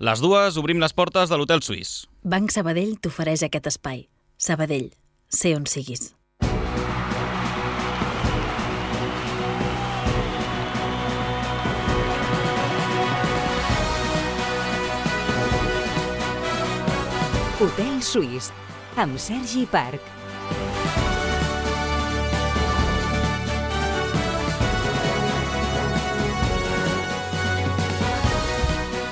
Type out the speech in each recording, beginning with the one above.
Les dues obrim les portes de l'Hotel Suís. Banc Sabadell t'ofereix aquest espai. Sabadell, sé on siguis. Hotel Suís, amb Sergi Parc.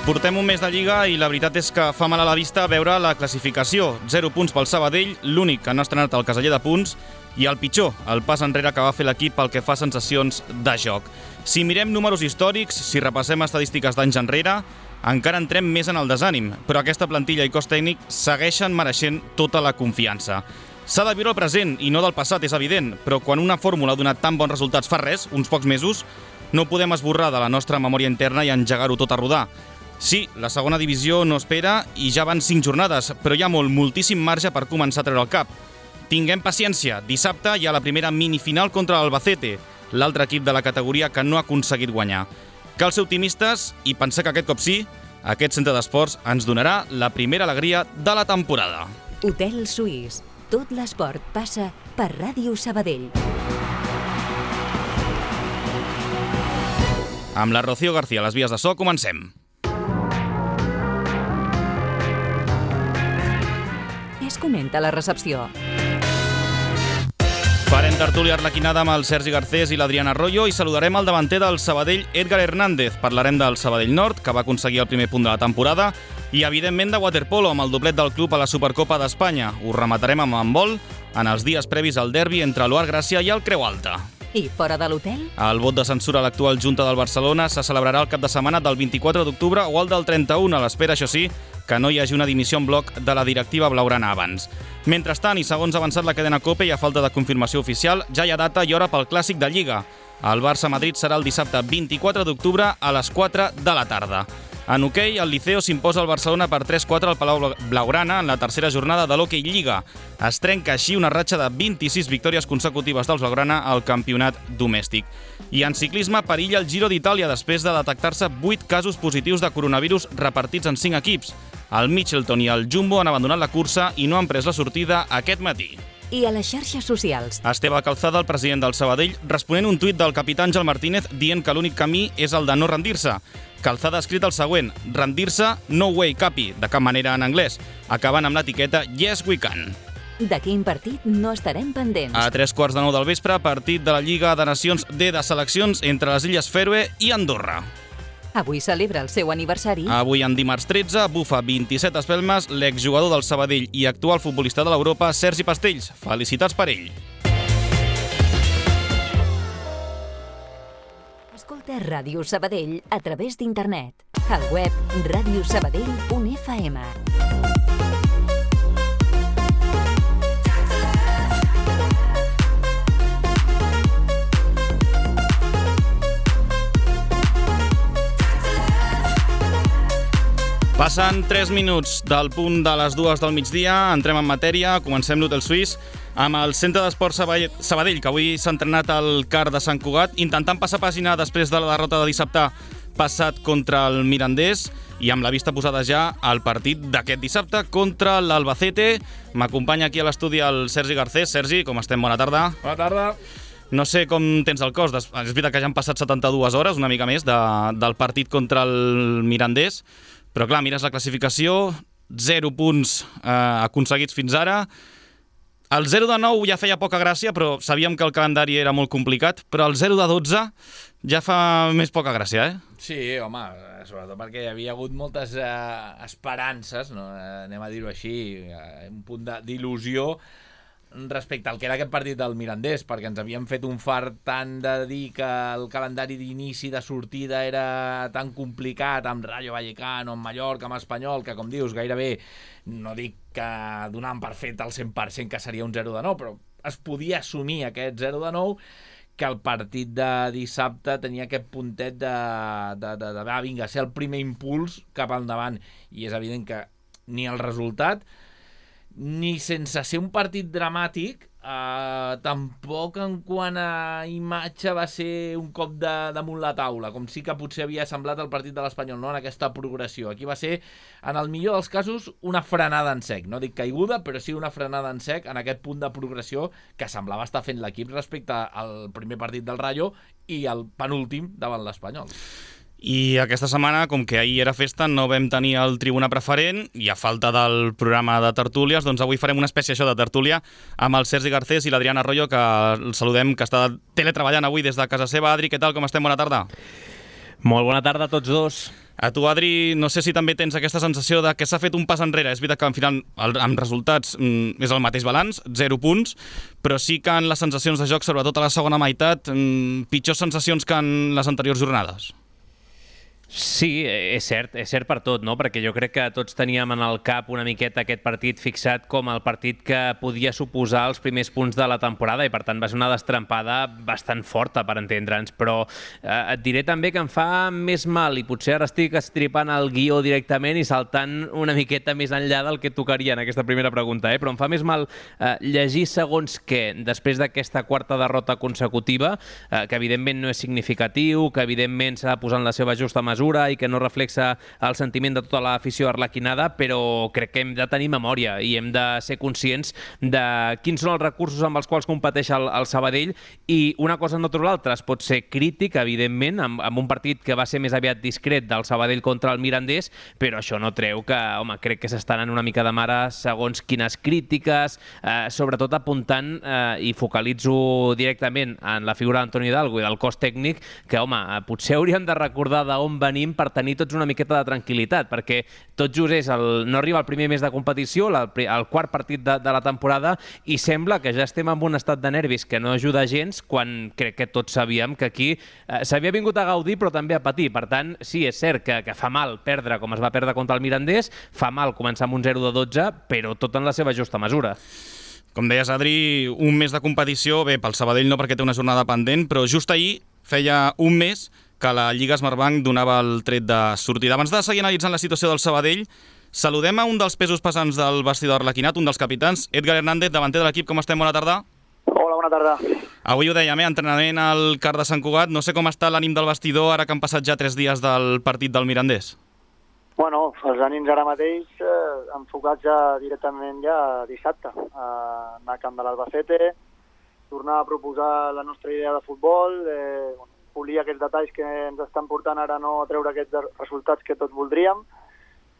Portem un mes de Lliga i la veritat és que fa mal a la vista veure la classificació. 0 punts pel Sabadell, l'únic que no ha estrenat el caseller de punts, i el pitjor, el pas enrere que va fer l'equip pel que fa a sensacions de joc. Si mirem números històrics, si repassem estadístiques d'anys enrere, encara entrem més en el desànim, però aquesta plantilla i cos tècnic segueixen mereixent tota la confiança. S'ha de viure el present i no del passat, és evident, però quan una fórmula ha donat tan bons resultats fa res, uns pocs mesos, no podem esborrar de la nostra memòria interna i engegar-ho tot a rodar. Sí, la segona divisió no espera i ja van 5 jornades, però hi ha moltíssim marge per començar a treure el cap. Tinguem paciència, dissabte hi ha la primera minifinal contra l'Albacete, l'altre equip de la categoria que no ha aconseguit guanyar. Cal ser optimistes i pensar que aquest cop sí, aquest centre d'esports ens donarà la primera alegria de la temporada. Hotel Suís. Tot l'esport passa per Ràdio Sabadell. Amb la Rocío García a les vies de so, comencem. Què es comenta a la recepció? Farem tertúlia arlequinada amb el Sergi Garcés i l'Adrián Arroyo i saludarem el davanter del Sabadell, Edgar Hernández. Parlarem del Sabadell Nord, que va aconseguir el primer punt de la temporada, i evidentment de waterpolo, amb el doblet del club a la Supercopa d'Espanya. Ho rematarem amb handbol en els dies previs al derbi entre l'Oar Gràcia i el Creu Alta. I fora de l'hotel? El vot de censura a l'actual Junta del Barcelona se celebrarà el cap de setmana del 24 d'octubre o el del 31, a l'espera, això sí, que no hi hagi una dimissió en bloc de la directiva blaugrana abans. Mentrestant, i segons ha avançat la cadena COPE i a falta de confirmació oficial, ja hi ha data i hora pel Clàssic de Lliga. El Barça-Madrid serà el dissabte 24 d'octubre a les 4 de la tarda. En hoquei, el Liceo s'imposa al Barcelona per 3-4 al Palau Blaugrana en la tercera jornada de l'Hockey Lliga. Es trenca així una ratxa de 26 victòries consecutives dels Blaugrana al campionat domèstic. I en ciclisme perilla el Giro d'Itàlia després de detectar-se 8 casos positius de coronavirus repartits en 5 equips. El Mitchelton i el Jumbo han abandonat la cursa i no han pres la sortida aquest matí. I a les xarxes socials? Esteve Calzada, el president del Sabadell, responent un tuit del capità Àngel Martínez dient que l'únic camí és el de no rendir-se. Calzada ha escrit el següent: rendir-se, no way, capi, de cap manera en anglès, acabant amb l'etiqueta Yes we can. De quin partit no estarem pendents? A 3:15 del vespre, partit de la Lliga de Nacions D de seleccions entre les Illes Fèroe i Andorra. Avui celebra el seu aniversari. Avui, en dimarts 13, bufa 27 espelmes l'exjugador del Sabadell i actual futbolista de l'Europa, Sergi Pastells. Felicitats per ell. Escolta Ràdio Sabadell a través d'internet. Al web radiosabadell.fm. Passen 3 minuts del punt de les 2 del migdia, entrem en matèria, comencem l'Hotel Suís amb el Centre d'Esports Sabadell, que avui s'ha entrenat al CAR de Sant Cugat, intentant passar pàgina després de la derrota de dissabte passat contra el Mirandés i amb la vista posada ja al partit d'aquest dissabte contra l'Albacete. M'acompanya aquí a l'estudi el Sergi Garcés. Sergi, com estem? Bona tarda. Bona tarda. No sé com tens el cos. És veritat que ja han passat 72 hores, una mica més, del partit contra el Mirandés. Però clar, mires la classificació, 0 punts aconseguits fins ara. El 0 de 9 ja feia poca gràcia, però sabíem que el calendari era molt complicat, però el 0 de 12 ja fa més poca gràcia, eh? Sí, home, sobretot perquè hi havia hagut moltes esperances, no? Anem a dir-ho així, un punt d'il·lusió respecte al que era aquest partit del Mirandés, perquè ens havíem fet un fart tant de dir que el calendari d'inici de sortida era tan complicat amb Rayo Vallecano, amb Mallorca, amb Espanyol, que com dius, gairebé, no dic que donàvem per fet al 100% que seria un 0 de 9, però es podia assumir aquest 0 de 9, que el partit de dissabte tenia aquest puntet de vinga, ser el primer impuls cap endavant, i és evident que ni el resultat ni sense ser un partit dramàtic tampoc en quant a imatge va ser un cop damunt la taula, com sí que potser havia semblat el partit de l'Espanyol, no? En aquesta progressió. Aquí va ser, en el millor dels casos, una frenada en sec. No dic caiguda, però sí una frenada en sec en aquest punt de progressió que semblava estar fent l'equip respecte al primer partit del Rayo i el penúltim davant l'Espanyol. I aquesta setmana, com que ahir era festa, no vam tenir el tribuna preferent i a falta del programa de tertúlies, doncs avui farem una espècie de tertúlia amb el Sergi Garcés i l'Adrián Arroyo, que el saludem, que està teletreballant avui des de casa seva. Adri, què tal? Com estem? Bona tarda. Molt bona tarda a tots dos. A tu, Adri, no sé si també tens aquesta sensació de que s'ha fet un pas enrere. És veritat que, al final, amb resultats és el mateix balanç, 0 punts, però sí que en les sensacions de joc, sobretot a la segona meitat, pitjors sensacions que en les anteriors jornades. Sí, és cert per tot, no? Perquè jo crec que tots teníem en el cap una miqueta aquest partit fixat com el partit que podia suposar els primers punts de la temporada i per tant va ser una destrampada bastant forta per entendre'ns, però et diré també que em fa més mal i potser ara estic estripant el guió directament i saltant una miqueta més enllà del que tocaria en aquesta primera pregunta, però em fa més mal llegir segons què després d'aquesta quarta derrota consecutiva, que evidentment no és significatiu, que evidentment s'ha de posar en la seva justa mesura i que no reflexa el sentiment de tota l'afició arlequinada, però crec que hem de tenir memòria i hem de ser conscients de quins són els recursos amb els quals competeix el Sabadell i una cosa no treu l'altra. Es pot ser crític, evidentment, amb un partit que va ser més aviat discret del Sabadell contra el Mirandés, però això no treu que, home, crec que s'estan en una mica de mare segons quines crítiques, sobretot apuntant i focalitzo directament en la figura d'Antoni Hidalgo i del cos tècnic, que, home, potser hauríem de recordar d'on venim per tenir tots una miqueta de tranquil·litat, perquè tot just no arriba el primer mes de competició, el quart partit de la temporada, i sembla que ja estem en un estat de nervis que no ajuda gens, quan crec que tots sabíem que aquí s'havia vingut a gaudir però també a patir. Per tant, sí, és cert que fa mal perdre com es va perdre contra el Mirandés, fa mal començar amb un 0-12, però tot en la seva justa mesura. Com deies, Adri, un mes de competició, bé, pel Sabadell no perquè té una jornada pendent, però just ahir feia un mes que la Lliga Smartbank donava el tret de sortida. Abans de seguir analitzant la situació del Sabadell, saludem a un dels pesos pesants del vestidor arlequinat, un dels capitans, Edgar Hernández, davanter de l'equip. Com estem? Bona tarda. Hola, bona tarda. Avui ho dèiem, entrenament al CAR de Sant Cugat. No sé com està l'ànim del vestidor ara que han passat ja 3 dies del partit del Mirandés. Bueno, els ànims ara mateix enfocats ja directament dissabte. Anar a Camp de l'Albacete, tornar a proposar la nostra idea de futbol, polir aquests detalls que ens estan portant ara no a treure aquests resultats que tots voldríem,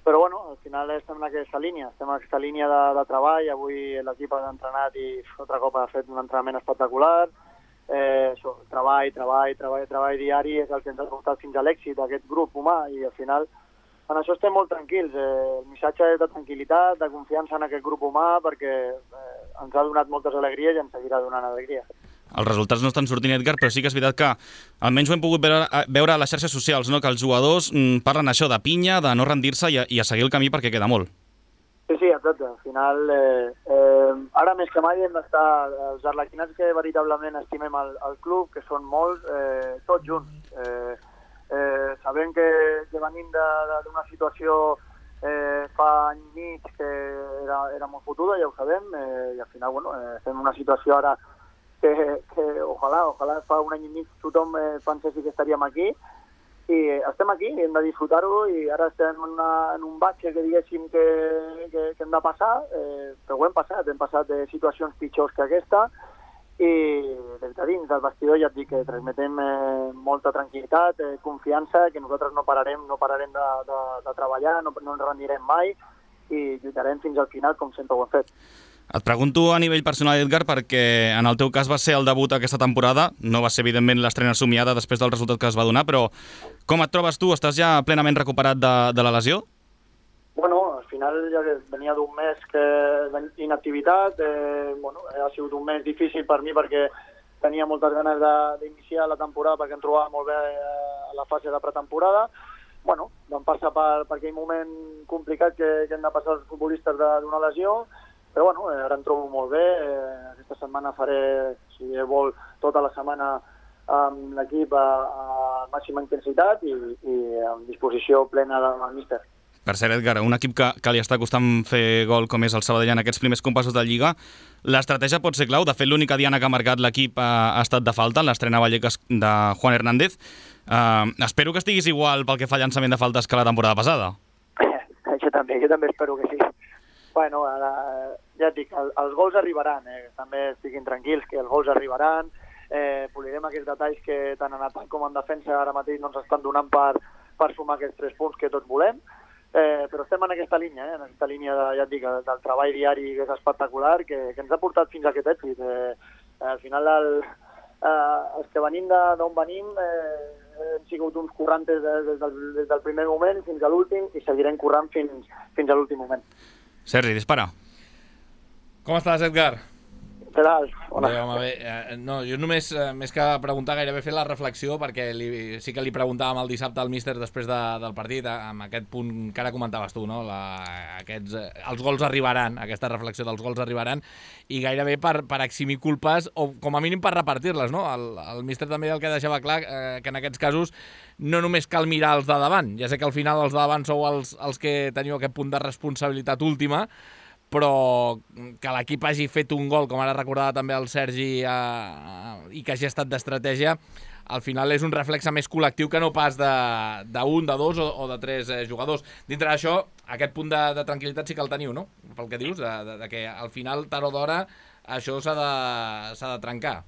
però bueno, al final estem en aquesta línia, de treball. Avui l'equip ha entrenat i altre cop ha fet un entrenament espectacular. Treball diari és el que ens ha portat fins a l'èxit d'aquest grup humà i al final en això estem molt tranquils. El missatge és de tranquil·litat, de confiança en aquest grup humà perquè ens ha donat moltes alegries i ens seguirà donant alegries. Els resultats no estan sortint, Edgar, però sí que és veritat que almenys ho hem pogut veure a les xarxes socials, no? Que els jugadors parlen això de pinya, de no rendir-se i a seguir el camí perquè queda molt. Sí, exacte. Al final, ara més que mai hem d'estar els arlequinats que veritablement estimem el club, que són molts, tots junts. Sabem que venim d'una situació fa any i mig que era molt fotuda, ja ho sabem, i al final estem en una situació ara que ojalà fa un any i mig tothom pensés que estaríem aquí i estem aquí, hem de disfrutar-ho i ara estem en un batxe que diguéssim que hem de passar, però ho hem passat de situacions pitjors que aquesta i des de dins del vestidor ja et dic que transmetem molta tranquil·litat, confiança, que nosaltres no pararem de treballar, no ens rendirem mai i lluitarem fins al final com sempre ho hem fet. Et pregunto a nivell personal, Edgar, perquè en el teu cas va ser el debut aquesta temporada, no va ser evidentment l'estrena somiada després del resultat que es va donar, però com et trobes tu? Estàs ja plenament recuperat de la lesió? Bueno, al final ja venia d'un mes d'inactivitat, ha sigut un mes difícil per mi perquè tenia moltes ganes d'iniciar la temporada perquè em trobava molt bé a la fase de pretemporada. Bueno, vam passar per aquell moment complicat que hem de passar els futbolistes d'una lesió, però bueno, ara em trobo molt bé. Aquesta setmana faré, si vol, tota la setmana amb l'equip a màxima intensitat i amb disposició plena del míster. Per cert, Edgar, un equip que li està costant fer gol com és el Sabadell en aquests primers compassos de Lliga, l'estratègia pot ser clau. De fet, l'única diana que ha marcat l'equip ha estat de falta, en l'estrena a Vallecas de Juan Hernández. Espero que estiguis igual pel que fa al llançament de faltes que la temporada passada. Jo també espero que sí. Bueno, ja et dic, els gols arribaran, també estiguin tranquils que els gols arribaran, polirem aquests detalls que tant en atac com en defensa ara mateix no ens estan donant per sumar aquests 3 punts que tots volem. Però estem en aquesta línia, en aquesta línia ja et dic, del treball diari que és espectacular, que ens ha portat fins a aquest èxit. Al final, els que venim d'on venim hem sigut uns currantes des del primer moment fins a l'últim i seguirem currant fins a l'últim moment. Sergi, dispara. Com estàs, Edgar? Què tal? Bé, home, bé. No, jo només, més que preguntar, gairebé fer la reflexió, perquè sí que li preguntàvem el dissabte al míster després del partit, amb aquest punt que ara comentaves tu, no? Els gols arribaran, aquesta reflexió dels gols arribaran, i gairebé per eximir culpes, o com a mínim per repartir-les, no? El míster també el que deixava clar, que en aquests casos no només cal mirar els de davant, ja sé que al final els de davant sou els que teniu aquest punt de responsabilitat última, però que l'equip hagi fet un gol, com ara recordava també el Sergi, i que hagi estat d'estratègia, al final és un reflexe més col·lectiu que no pas d'un, de dos o de 3 jugadors. Dintre d'això, aquest punt de tranquil·litat sí que el teniu, no? Pel que dius, de que al final, tard o d'hora, això s'ha de trencar.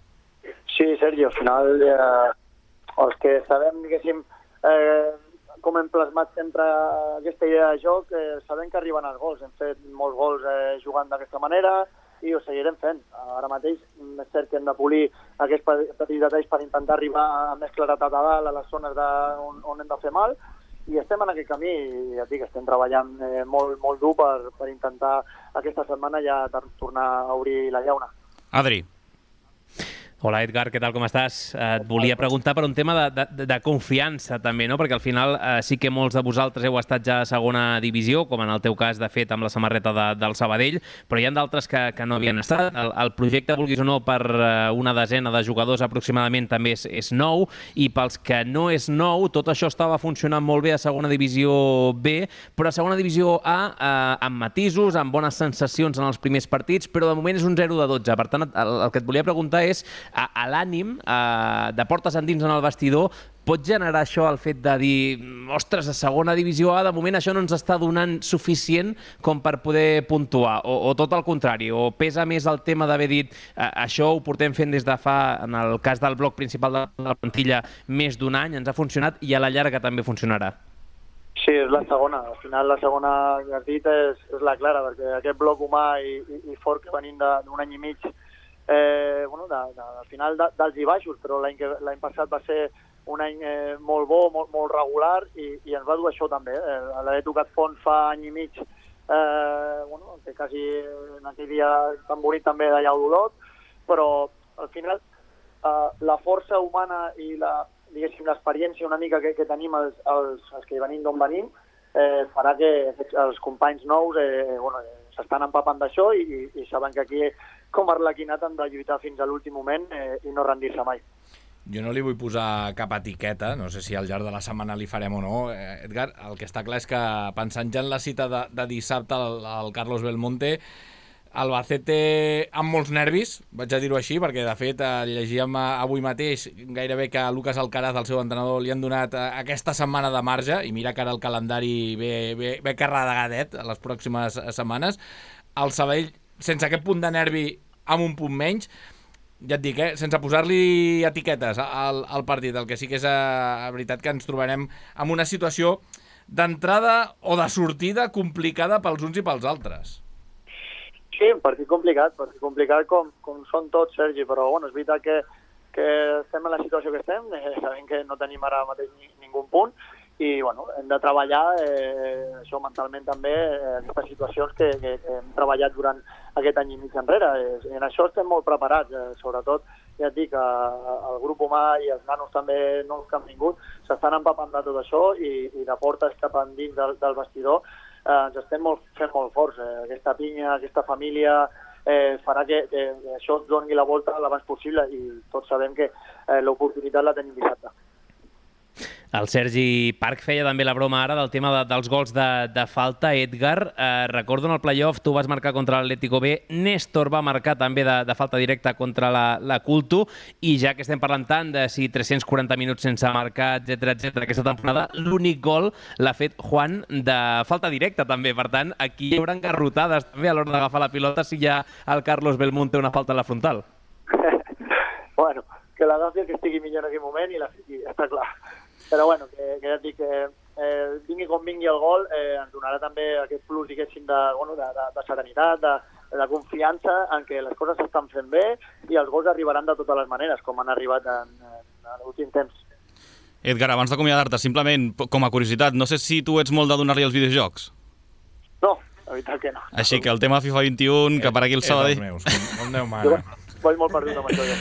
Sí, Sergi, al final els que sabem, diguéssim, com hem plasmat sempre aquesta idea de joc, sabem que arriben els gols. Hem fet molts gols jugant d'aquesta manera i ho seguirem fent. Ara mateix és cert que hem de polir aquests petits detalls per intentar arribar a més claretat a dalt, a les zones on hem de fer mal, i estem en aquest camí i ja et dic, estem treballant molt dur per intentar aquesta setmana ja tornar a obrir la llauna. Adri. Hola, Edgar, què tal, com estàs? Et volia preguntar per un tema de confiança, també, no? Perquè al final sí que molts de vosaltres heu estat ja a segona divisió, com en el teu cas, de fet, amb la samarreta del Sabadell, però hi ha d'altres que no havien estat. El projecte, vulguis o no, per una desena de jugadors aproximadament també és nou, i pels que no és nou, tot això estava funcionant molt bé a segona divisió B, però a segona divisió A, amb matisos, amb bones sensacions en els primers partits, però de moment és un 0 de 12. Per tant, el que et volia preguntar és a l'ànim de portes endins en el vestidor, pot generar això el fet de dir ostres, a segona divisió A de moment això no ens està donant suficient com per poder puntuar, o tot el contrari, o pesa més el tema d'haver dit això ho portem fent des de fa, en el cas del bloc principal de la plantilla, més d'un any, ens ha funcionat i a la llarga també funcionarà? Sí, és la segona. Al final la segona que has dit és la clara, perquè aquest bloc humà i fort que venim d'un any i mig, al final dels i baixos, però l'any passat va ser un any molt bo, molt regular, i ens va dur això també. L'haver tocat fons fa any i mig, que quasi en aquell dia tan bonic també d'allà a Olot, però al final la força humana i l'experiència una mica que tenim els que venim d'on venim farà que els companys nous s'estan empapant d'això i saben que aquí com a Arlequinat han de lluitar fins a l'últim moment i no rendir-se mai. Jo no li vull posar cap etiqueta, no sé si al llarg de la setmana li farem o no, Edgar. El que està clar és que pensant ja en la cita de dissabte al Carlos Belmonte, Albacete amb molts nervis, vaig a dir-ho així, perquè de fet llegíem avui mateix gairebé que a Lucas Alcaraz, el seu entrenador, li han donat aquesta setmana de marge, i mira que ara el calendari ve carregadet a les pròximes setmanes. El Sabadell, sense aquest punt de nervi, amb un punt menys, ja et dic, sense posar-li etiquetes al partit, el que sí que és veritat que ens trobarem en una situació d'entrada o de sortida complicada pels uns i pels altres. Sí, un partit complicat com són tots, Sergi, però és veritat que estem en la situació que estem, sabem que no tenim ara mateix ningú punt, i hem de treballar això mentalment també, aquestes situacions que hem treballat durant aquest any i mig enrere. En això estem molt preparats, sobretot, ja et dic, el grup humà i els nanos també nous que han vingut s'estan empapant de tot això, i de portes cap endins del vestidor ens estem fent molt forts. Aquesta pinya, aquesta família farà que això es doni la volta l'abans possible, i tots sabem que l'oportunitat la tenim dissabte. El Sergi Parc feia també la broma ara del tema dels gols de falta. Edgar, recordo en el play-off tu vas marcar contra l'Atlético B, Néstor va marcar també de falta directa contra la Culto, i ja que estem parlant tant de si 340 minuts sense marcar, etc aquesta temporada, l'únic gol l'ha fet Juan de falta directa també. Per tant, aquí hi haurà engarrotades també a l'hora d'agafar la pilota si ja el Carlos Belmonte una falta a la frontal. Bueno, que l'agafi el que estigui millor en aquell moment i la fiqui, està clar. Però bueno, que ja et dic que vingui com vingui el gol, ens donarà també aquest plus, diguéssim, de serenitat, de confiança en què les coses s'estan fent bé i els gols arribaran de totes les maneres, com han arribat en l'últim temps. Edgar, abans d'acomiadar-te, simplement com a curiositat, no sé si tu ets molt de donar-li els videojocs. No, la veritat que no. Així que el tema FIFA 21, que per aquí el Sabadell... És dels meus, com Déu mana. Vaig molt perdut amb això, jo.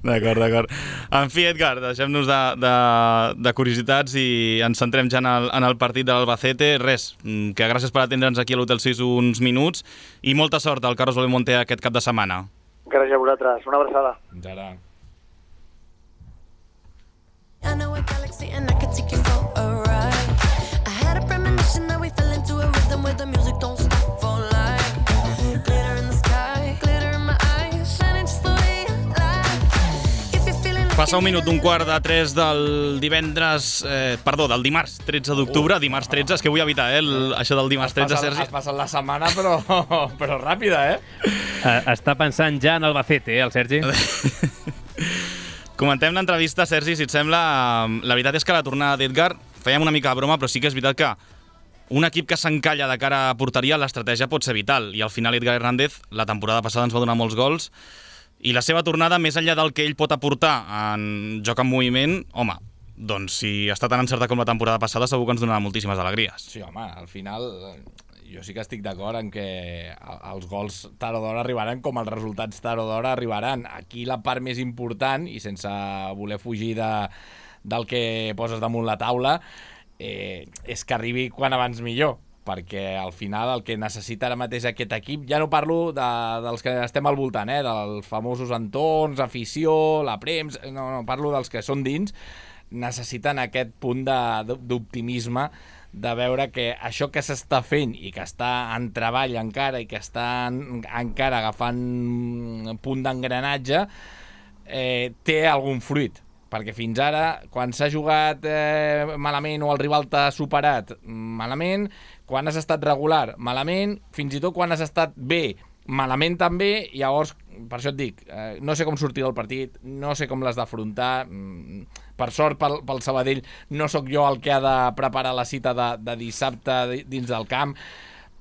D'acord. En fi, Edgar, deixem-nos de curiositats i ens centrem ja en el partit de l'Albacete. Res, que gràcies per atendre'ns aquí a l'Hotel 6 uns minuts i molta sort al Carlos Belmonte aquest cap de setmana. Gràcies a vosaltres. Una abraçada. Ara. I know a galaxy and I could take you for a ride. I had a premonition that we fell into a rhythm where the music don't stop for life. Glitter in the sky, glitter in my eyes, shining just the way I like. If you're feeling like Passa un minut d'un quart de 3 del del dimarts 13 d'octubre, dimarts 13, és que vull evitar això del dimarts 13, Sergi. Has passat la setmana, però ràpida, Està pensant ja en Albacete, el Sergi? Comentem l'entrevista, Sergi, si et sembla. La veritat és que la tornada d'Edgar, fèiem una mica de broma, però sí que és veritat que un equip que s'encalla de cara a porteria, l'estratègia pot ser vital. I al final Edgar Hernández, la temporada passada ens va donar molts gols, i la seva tornada, més enllà del que ell pot aportar en joc en moviment, home, doncs si està tan encertat com la temporada passada, segur que ens donarà moltíssimes alegries. Sí, home, al final jo sí que estic d'acord en que els gols tard o d'hora arribaran com els resultats tard o d'hora arribaran. Aquí la part més important, i sense voler fugir del que poses damunt la taula, és que arribi quan abans millor, perquè al final el que necessita ara mateix aquest equip, ja no parlo dels que estem al voltant, dels famosos entorns, afició, la premsa, no, parlo dels que són dins, necessiten aquest punt d'optimisme, de veure que això que s'està fent i que està en treball encara i que està encara agafant punt d'engranatge, té algun fruit. Perquè fins ara, quan s'ha jugat malament o el rival t'ha superat malament, quan has estat regular malament, fins i tot quan has estat bé malament també, llavors, per això et dic, no sé com sortir del partit, no sé com l'has d'afrontar. Per sort pel Sabadell no sóc jo el que ha de preparar la cita de dissabte dins del camp,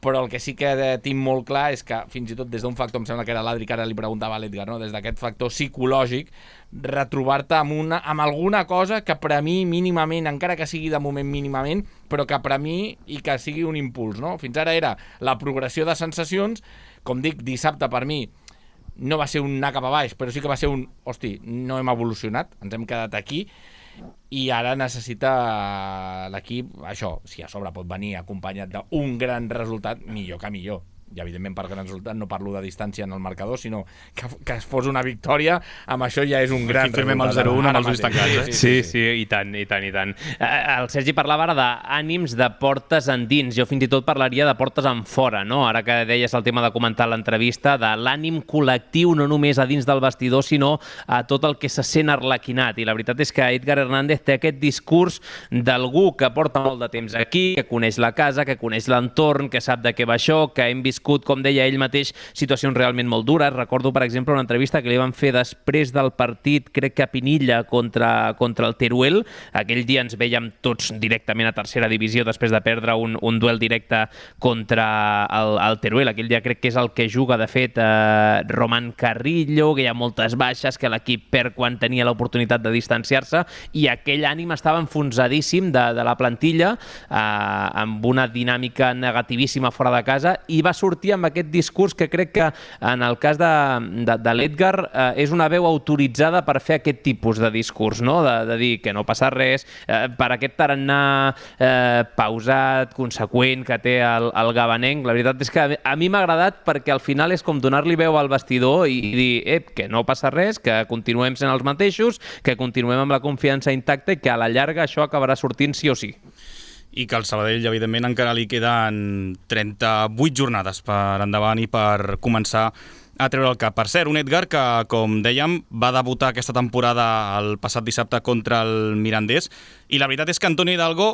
però el que sí que tinc molt clar és que fins i tot des d'un factor, em sembla que era l'Adri que ara li preguntava a l'Edgar, no? Des d'aquest factor psicològic, retrobar-te amb alguna cosa que per a mi mínimament, encara que sigui de moment mínimament, però que per a mi i que sigui un impuls, no? Fins ara era la progressió de sensacions, com dic, dissabte per mi no va ser un anar cap a baix, però sí que va ser un, hosti, no hem evolucionat, ens hem quedat aquí, i ara necessita l'equip, això, si a sobre pot venir acompanyat d'un gran resultat, millor que millor. I evidentment per gran resultat no parlo de distància en el marcador, sinó que es fos una victòria, amb això ja és un gran resultat. Firmem el 0-1 amb els ulls tancats. Sí, i tant. El Sergi parlava ara d'ànims de portes endins, jo fins i tot parlaria de portes en fora, no? Ara que deies el tema de comentar l'entrevista, de l'ànim col·lectiu, no només a dins del vestidor, sinó a tot el que se sent arlequinat. I la veritat és que Edgar Hernández té aquest discurs d'algú que porta molt de temps aquí, que coneix la casa, que coneix l'entorn, que sap de què va això, que hem viscut, com deia ell mateix, situacions realment molt dures. Recordo, per exemple, una entrevista que li van fer després del partit, crec que a Pinilla, contra el Teruel. Aquell dia ens vèiem tots directament a tercera divisió després de perdre un duel directe contra el Teruel. Aquell dia crec que és el que juga, de fet, Román Carrillo, que hi ha moltes baixes, que l'equip perd quan tenia l'oportunitat de distanciar-se, i aquell ànim estava enfonsadíssim de la plantilla, amb una dinàmica negativíssima fora de casa, i va sortir sortir amb aquest discurs que crec que en el cas de l'Edgar és una veu autoritzada per fer aquest tipus de discurs, no? De dir que no passa res, per aquest tarannà pausat, conseqüent que té el gabanenc. La veritat és que a mi m'ha agradat perquè al final és com donar-li veu al vestidor i dir que no passa res, que continuem sent els mateixos, que continuem amb la confiança intacta i que a la llarga això acabarà sortint sí o sí. I que al Sabadell, evidentment, encara li queden 38 jornades per endavant i per començar a treure el cap. Per cert, un Edgar que, com dèiem, va debutar aquesta temporada el passat dissabte contra el Mirandés, i la veritat és que Antonio Hidalgo,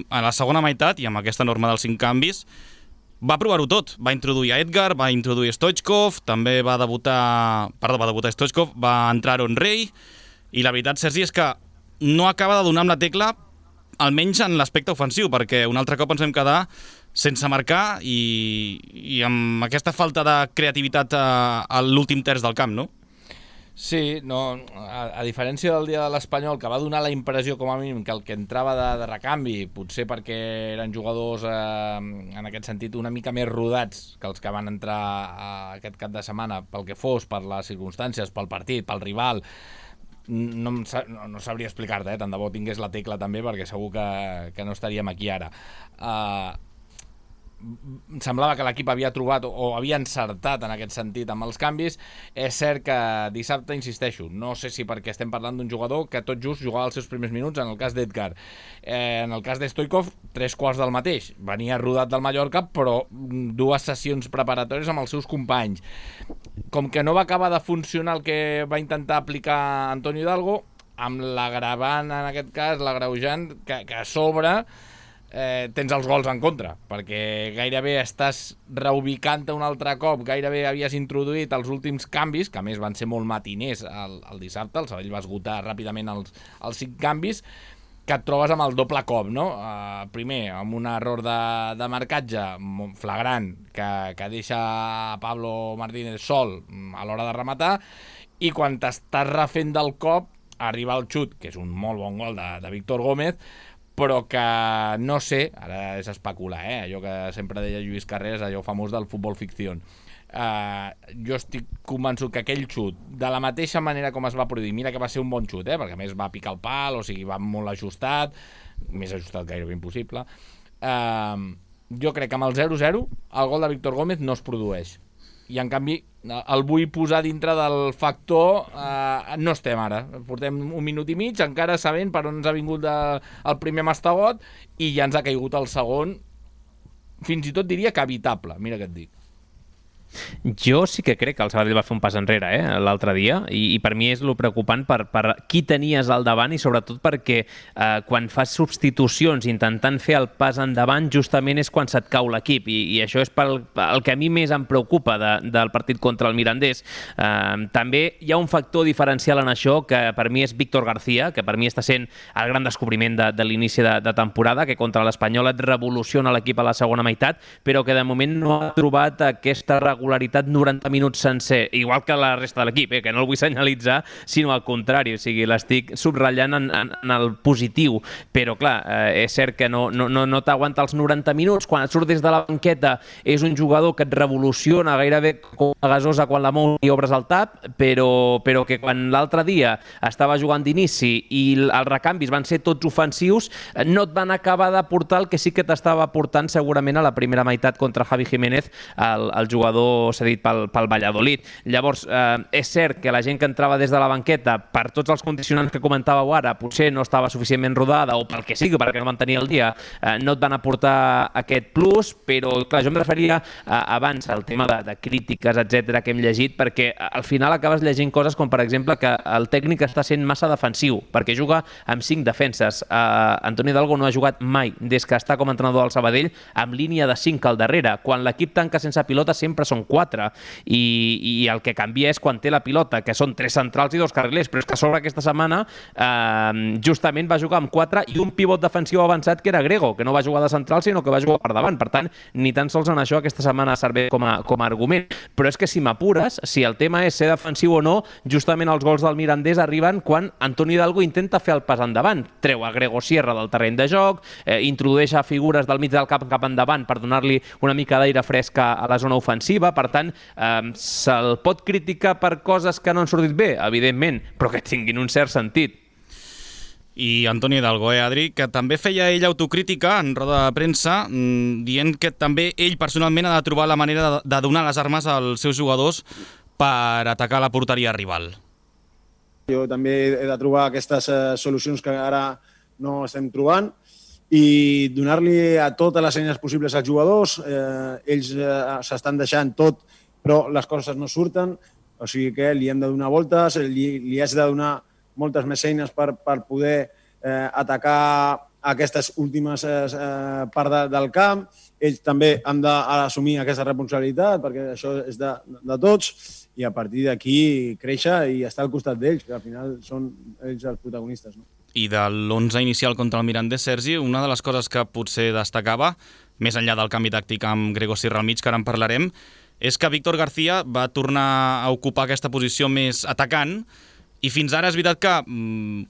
a la segona meitat, i amb aquesta norma dels 5 canvis, va provar-ho tot. Va introduir a Edgar, va introduir Stoichkov, també va debutar Stoichkov, va entrar Aaron Rey, i la veritat, Sergi, és que no acaba de donar amb la tecla, almenys en l'aspecte ofensiu, perquè un altre cop ens vam quedar sense marcar i amb aquesta falta de creativitat a l'últim terç del camp, no? Sí, no, a diferència del dia de l'Espanyol, que va donar la impressió com a mínim que el que entrava de recanvi, potser perquè eren jugadors en aquest sentit una mica més rodats que els que van entrar aquest cap de setmana, pel que fos, per les circumstàncies, pel partit, pel rival, no sabria explicar-te, tant de bo tingués la tecla també, perquè segur que no estaríem aquí ara. Semblava que l'equip havia trobat o havia encertat en aquest sentit amb els canvis. És cert que dissabte, insisteixo, no sé si perquè estem parlant d'un jugador que tot just jugava els seus primers minuts, en el cas d'Edgar. En el cas de Stoichkov, 3/4 del mateix. Venia rodat del Mallorca, però 2 sessions preparatòries amb els seus companys. Com que no va acabar de funcionar el que va intentar aplicar Antonio Hidalgo, amb l'agravant, en aquest cas, l'agreujant, que a sobre tens els gols en contra, perquè gairebé estàs reubicant-te un altre cop, gairebé havies introduït els últims canvis, que a més van ser molt matiners el dissabte, el Sabadell va esgotar ràpidament els 5 canvis, que et trobes amb el doble cop, no? Primer, amb un error de marcatge flagrant que deixa Pablo Martínez sol a l'hora de rematar, i quan t'estàs refent del cop arriba el xut, que és un molt bon gol de Víctor Gómez, però que no sé, ara és especular, allò que sempre deia Lluís Carreras, allò famós del futbol ficció. Jo estic convençut que aquell xut, de la mateixa manera com es va produir, mira que va ser un bon xut, perquè a més va picar el pal, o sigui, va molt ajustat, més ajustat gairebé impossible. Jo crec que amb el 0-0 el gol de Víctor Gómez no es produeix. I en canvi el vull posar dintre del factor no estem ara, portem un minut i mig encara sabent per on ens ha vingut el primer mastegot i ja ens ha caigut el segon, fins i tot diria que evitable, mira què et dic. Jo sí que crec que el Sabadell va fer un pas enrere l'altre dia i per mi és lo preocupant per qui tenies al davant i sobretot perquè quan fas substitucions intentant fer el pas endavant justament és quan se't cau l'equip i això és el que a mi més em preocupa del partit contra el Mirandés. També hi ha un factor diferencial en això que per mi és Víctor García, que per mi està sent el gran descobriment de l'inici de temporada, que contra l'Espanyol et revoluciona l'equip a la segona meitat, però que de moment no ha trobat aquesta regularitat 90 minuts sencer, igual que la resta de l'equip, que no el vull senyalitzar, sinó al contrari, o sigui, l'estic subratllant en el positiu, però clar, és cert que no t'aguanta els 90 minuts, quan et surt des de la banqueta és un jugador que et revoluciona gairebé com a gasosa quan la mou i obres el tap, però que quan l'altre dia estava jugant d'inici i els recanvis van ser tots ofensius, no et van acabar de portar el que sí que t'estava portant segurament a la primera meitat contra Javi Jiménez, el jugador cedit pel Valladolid. Llavors, és cert que la gent que entrava des de la banqueta, per tots els condicionants que comentàveu ara, potser no estava suficientment rodada o pel que sigui, perquè no van tenir el dia, no et van aportar aquest plus, però clar, jo em referia abans al tema de crítiques, etc que hem llegit, perquè al final acabes llegint coses com, per exemple, que el tècnic està sent massa defensiu, perquè juga amb 5 defenses. Antonio Hidalgo no ha jugat mai, des que està com a entrenador del Sabadell, amb línia de 5 al darrere. Quan l'equip tanca sense pilota sempre són són 4, i el que canvia és quan té la pilota, que són 3 centrals i 2 carrilers, però és que a sobre aquesta setmana justament va jugar amb 4 i un pivot defensiu avançat que era Grego, que no va jugar de central sinó que va jugar per davant. Per tant, ni tan sols en això aquesta setmana serveix com a argument. Però és que si m'apures, si el tema és ser defensiu o no, justament els gols del Mirandés arriben quan Antoni Hidalgo intenta fer el pas endavant. Treu a Grego Sierra del terreny de joc, introdueix a figures del mig del camp cap endavant per donar-li una mica d'aire fresc a la zona ofensiva. Per tant, se'l pot criticar per coses que no han sortit bé, evidentment, però que tinguin un cert sentit. I Antoni Hidalgo, Adri, que també feia ell autocrítica en roda de premsa, dient que també ell personalment ha de trobar la manera de donar les armes als seus jugadors per atacar la porteria rival. Jo també he de trobar aquestes solucions que ara no estem trobant i donar-li a totes les eines possibles als jugadors. Ells s'estan deixant tot, però les coses no surten, o sigui que li hem de donar voltes, li has de donar moltes més eines per poder atacar aquestes últimes parts del camp. Ells també han d'assumir aquesta responsabilitat, perquè això és de tots, i a partir d'aquí créixer i estar al costat d'ells, que al final són ells els protagonistes. No? I de l'11 inicial contra el Mirandés, Sergi, una de les coses que potser destacava, més enllà del canvi tàctic amb Grego Sierra al mig, que ara en parlarem, és que Víctor García va tornar a ocupar aquesta posició més atacant. I fins ara és veritat que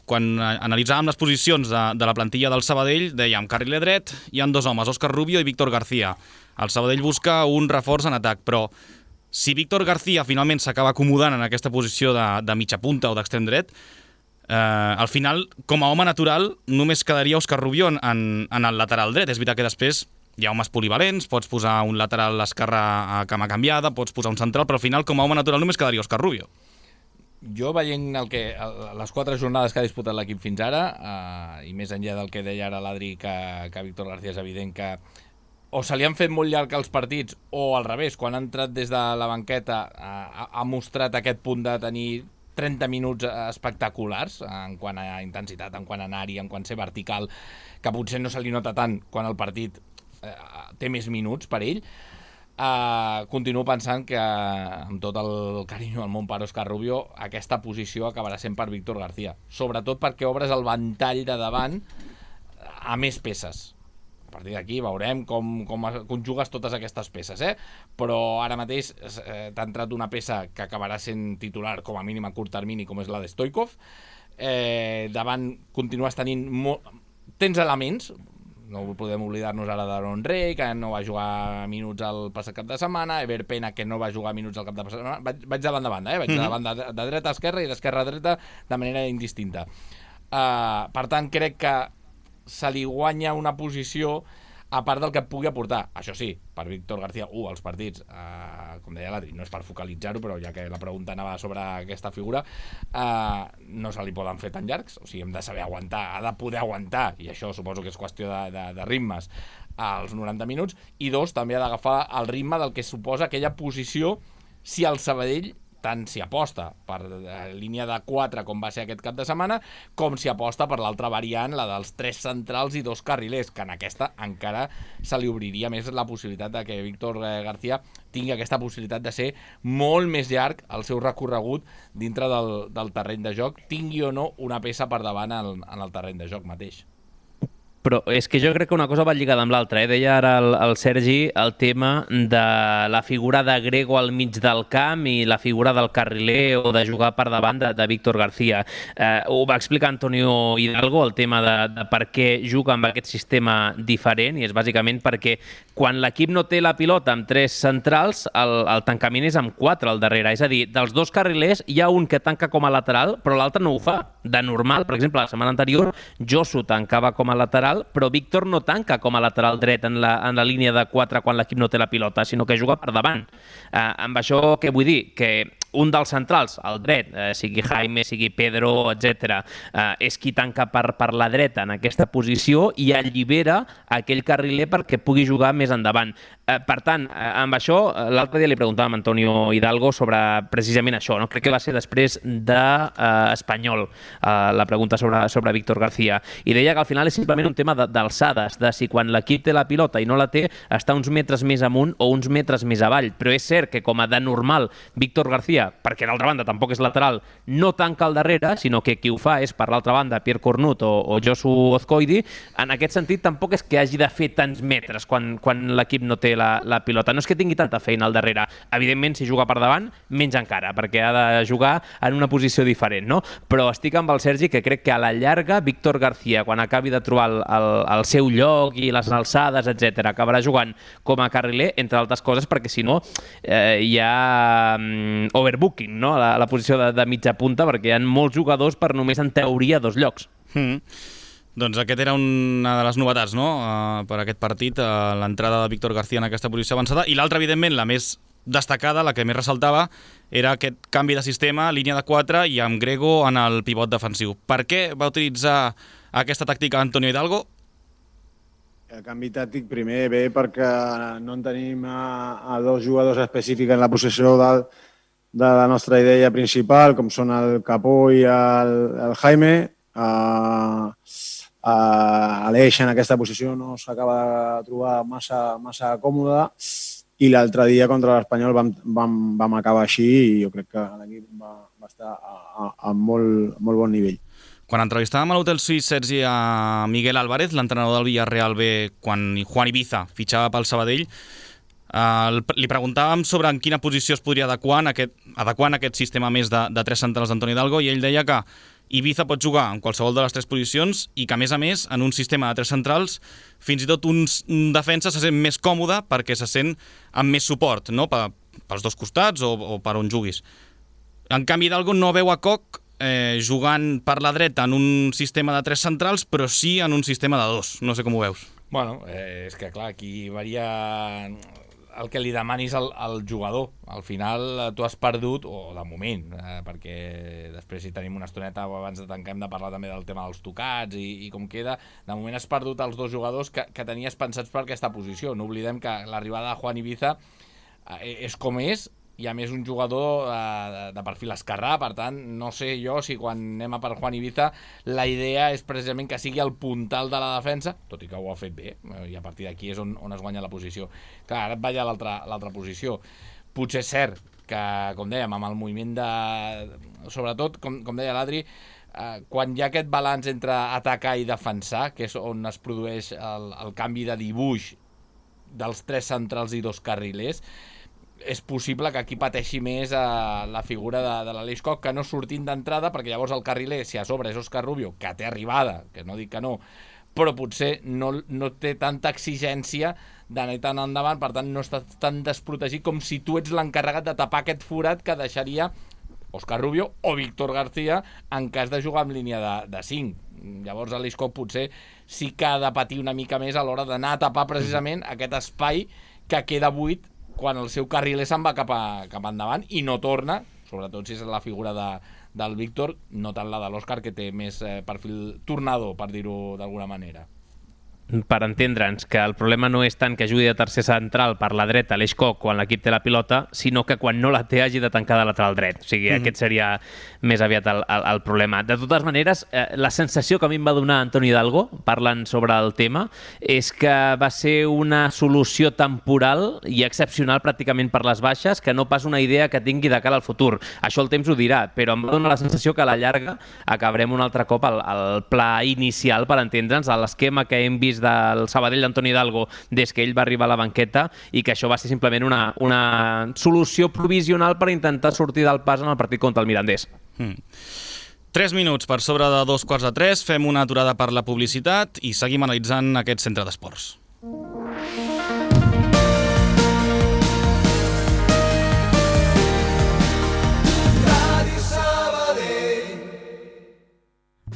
quan analitzàvem les posicions de la plantilla del Sabadell, dèiem carriler dret, hi ha 2 homes, Òscar Rubio i Víctor García. El Sabadell busca un reforç en atac, però si Víctor García finalment s'acaba acomodant en aquesta posició de mitja punta o d'extrem dret, al final, com a home natural, només quedaria Òscar Rubio en el lateral dret. És veritat que després hi ha homes polivalents, pots posar un lateral a l'esquerra a cama canviada, pots posar un central, però al final, com a home natural, només quedaria Òscar Rubio. Jo, veient les 4 jornades que ha disputat l'equip fins ara, i més enllà del que deia ara l'Adri, que Víctor García és evident que o se li han fet molt llarg els partits, o al revés, quan ha entrat des de la banqueta ha mostrat aquest punt de tenir 30 minuts espectaculars en quant a intensitat, en quant a anar-hi, en quant a ser vertical, que potser no se li nota tant quan el partit té més minuts per ell. Continuo pensant que, amb tot el carinyo del món per Òscar Rubio, aquesta posició acabarà sent per Víctor García, sobretot perquè obres el ventall de davant a més peces. A partir d'aquí veurem com conjugues totes aquestes peces, però ara mateix t'ha entrat una peça que acabarà sent titular com a mínim a curt termini, com és la de Stoikov. Davant continues tenint tens elements, no podem oblidar-nos ara d'Aaron Rey, que no va jugar minuts el passat cap de setmana, Ever Pena, que no va jugar minuts el cap de setmana. Vaig de banda a banda, vaig de banda de dreta a esquerra i d'esquerra a dreta de manera indistinta. Per tant, crec que se li guanya una posició a part del que pugui aportar. Això sí, per Víctor García, els partits, com deia l'Adri, no és per focalitzar-ho, però ja que la pregunta anava sobre aquesta figura, no se li poden fer tan llargs, o sigui, hem de saber aguantar, ha de poder aguantar, i això suposo que és qüestió de ritmes, als 90 minuts, i 2, també ha d'agafar el ritme del que suposa aquella posició si el Sabadell tant si aposta per línia de 4 com va ser aquest cap de setmana, com si aposta per l'altra variant, la dels 3 centrals i 2 carrilers, que en aquesta encara se li obriria més la possibilitat de que Víctor García tingui aquesta possibilitat de ser molt més llarg el seu recorregut dintre del terreny de joc, tingui o no una peça per davant en el terreny de joc mateix. Però és que jo crec que una cosa va lligada amb l'altra. Deia ara el Sergi el tema de la figura de Grego al mig del camp i la figura del carriler o de jugar per davant de Víctor García. Ho va explicar Antonio Hidalgo, el tema de per què juga amb aquest sistema diferent, i és bàsicament perquè quan l'equip no té la pilota amb 3 centrals, el tancament és amb 4 al darrere. És a dir, dels 2 carrilers hi ha un que tanca com a lateral, però l'altre no ho fa. De normal, per exemple, la setmana anterior, Josu tancava com a lateral, però Víctor no tanca com a lateral dret en la línia de 4 quan l'equip no té la pilota, sinó que juga per davant. Amb això què vull dir? Que un dels centrals, el dret, sigui Jaime, sigui Pedro, etc., és qui tanca per la dreta en aquesta posició i allibera aquell carriler perquè pugui jugar més endavant. Per tant, amb això, l'altre dia li preguntàvem a Antonio Hidalgo sobre precisament això, no? Crec que va ser després d'Espanyol, la pregunta sobre Víctor García, i deia que al final és simplement un tema d'alçades, de si quan l'equip té la pilota i no la té, està uns metres més amunt o uns metres més avall, però és cert que com a de normal Víctor García, perquè d'altra banda tampoc és lateral, no tanca al darrere, sinó que qui ho fa és per l'altra banda Pierre Cornut o Josu Ozcoidi. En aquest sentit tampoc és que hagi de fer tants metres quan l'equip no té la pilota. No és que tingui tanta feina al darrere. Evidentment, si juga per davant, menys encara, perquè ha de jugar en una posició diferent, no? Però estic amb el Sergi, que crec que a la llarga Víctor García, quan acabi de trobar el seu lloc i les alçades, etc., acabarà jugant com a carriler, entre altres coses, perquè si no hi ha overbooking, no? La posició de mitja punta, perquè hi ha molts jugadors per només, en teoria, 2 llocs. Doncs aquest era una de les novetats, no?, per aquest partit, l'entrada de Víctor García en aquesta posició avançada, i l'altra, evidentment, la més destacada, la que més ressaltava, era aquest canvi de sistema, línia de 4 i amb Grego en el pivot defensiu. Per què va utilitzar aquesta tàctica Antonio Hidalgo? El canvi tàctic primer ve perquè no en tenim a 2 jugadors específics en la possessió de la nostra idea principal, com són el Capó i el Jaime. Aleix en aquesta posició no s'acaba de trobar massa còmode, i l'altre dia contra l'Espanyol vam acabar així, i jo crec que l'equip va estar a molt bon nivell. Quan entrevistàvem a l'Hotel Suís, Sergi, a Miguel Álvarez, l'entrenador del Villarreal B, quan Juan Ibiza fitxava pel Sabadell, li preguntàvem sobre en quina posició es podria adequar en aquest sistema més de 3 centrals d'Antonio Hidalgo, i ell deia que Ibiza pot jugar en qualsevol de les 3 posicions i que, a més, en un sistema de 3 centrals, fins i tot un defensa se sent més còmode perquè se sent amb més suport, no?, pels 2 costats o per on juguis. En canvi, Hidalgo no veu a Koch jugant per la dreta en un sistema de 3 centrals, però sí en un sistema de 2. No sé com ho veus. Bueno, és que clar, aquí varia el que li demanis al jugador. Al final tu has perdut, o de moment, perquè després si tenim una estoneta abans de tancar hem de parlar també del tema dels tocats i com queda, de moment has perdut els 2 jugadors que tenies pensats per aquesta posició. No oblidem que l'arribada de Juan Ibiza és com és, i a més un jugador de perfil esquerrà, per tant, no sé jo si quan anem a per Juan Ibiza la idea és precisament que sigui el puntal de la defensa, tot i que ho ha fet bé, i a partir d'aquí és on es guanya la posició. Clar, ara et vaig a l'altra posició. Potser és cert que, com dèiem, amb el moviment sobretot, com deia l'Adri, quan hi ha aquest balanç entre atacar i defensar, que és on es produeix el canvi de dibuix dels 3 centrals i 2 carrilers, és possible que aquí pateixi més la figura de l'Aleix Koch, que no sortint d'entrada, perquè llavors el carriler, si a sobre és Óscar Rubio, que té arribada, que no dic que no, però potser no té tanta exigència d'anar tan endavant, per tant no està tan desprotegit com si tu ets l'encarregat de tapar aquest forat que deixaria Óscar Rubio o Víctor García en cas de jugar amb línia de 5. Llavors l'Aleix Koch potser sí que ha de patir una mica més a l'hora d'anar a tapar precisament aquest espai que queda buit quan el seu carriler se'n va cap endavant i no torna, sobretot si és la figura del Víctor, no tant la de l'Òscar, que té més perfil tornador, per dir-ho d'alguna manera. Per entendre'ns que el problema no és tant que jugui de tercer central per la dreta l'Aleix Koch quan l'equip té la pilota, sinó que quan no la té hagi de tancar de lateral dret. O sigui, aquest seria més aviat el problema. De totes maneres, la sensació que a mi em va donar Antonio Hidalgo, parlant sobre el tema, és que va ser una solució temporal i excepcional pràcticament per les baixes, que no pas una idea que tingui de cara al futur. Això el temps ho dirà, però em va donar la sensació que a la llarga acabarem un altre cop al pla inicial, per entendre'ns, a l'esquema que hem vist del Sabadell d'Antonio Hidalgo des que ell va arribar a la banqueta, i que això va ser simplement una solució provisional per intentar sortir del pas en el partit contra el Mirandés. 3 minuts per sobre de 2:45, fem una aturada per la publicitat i seguim analitzant aquest centre d'esports.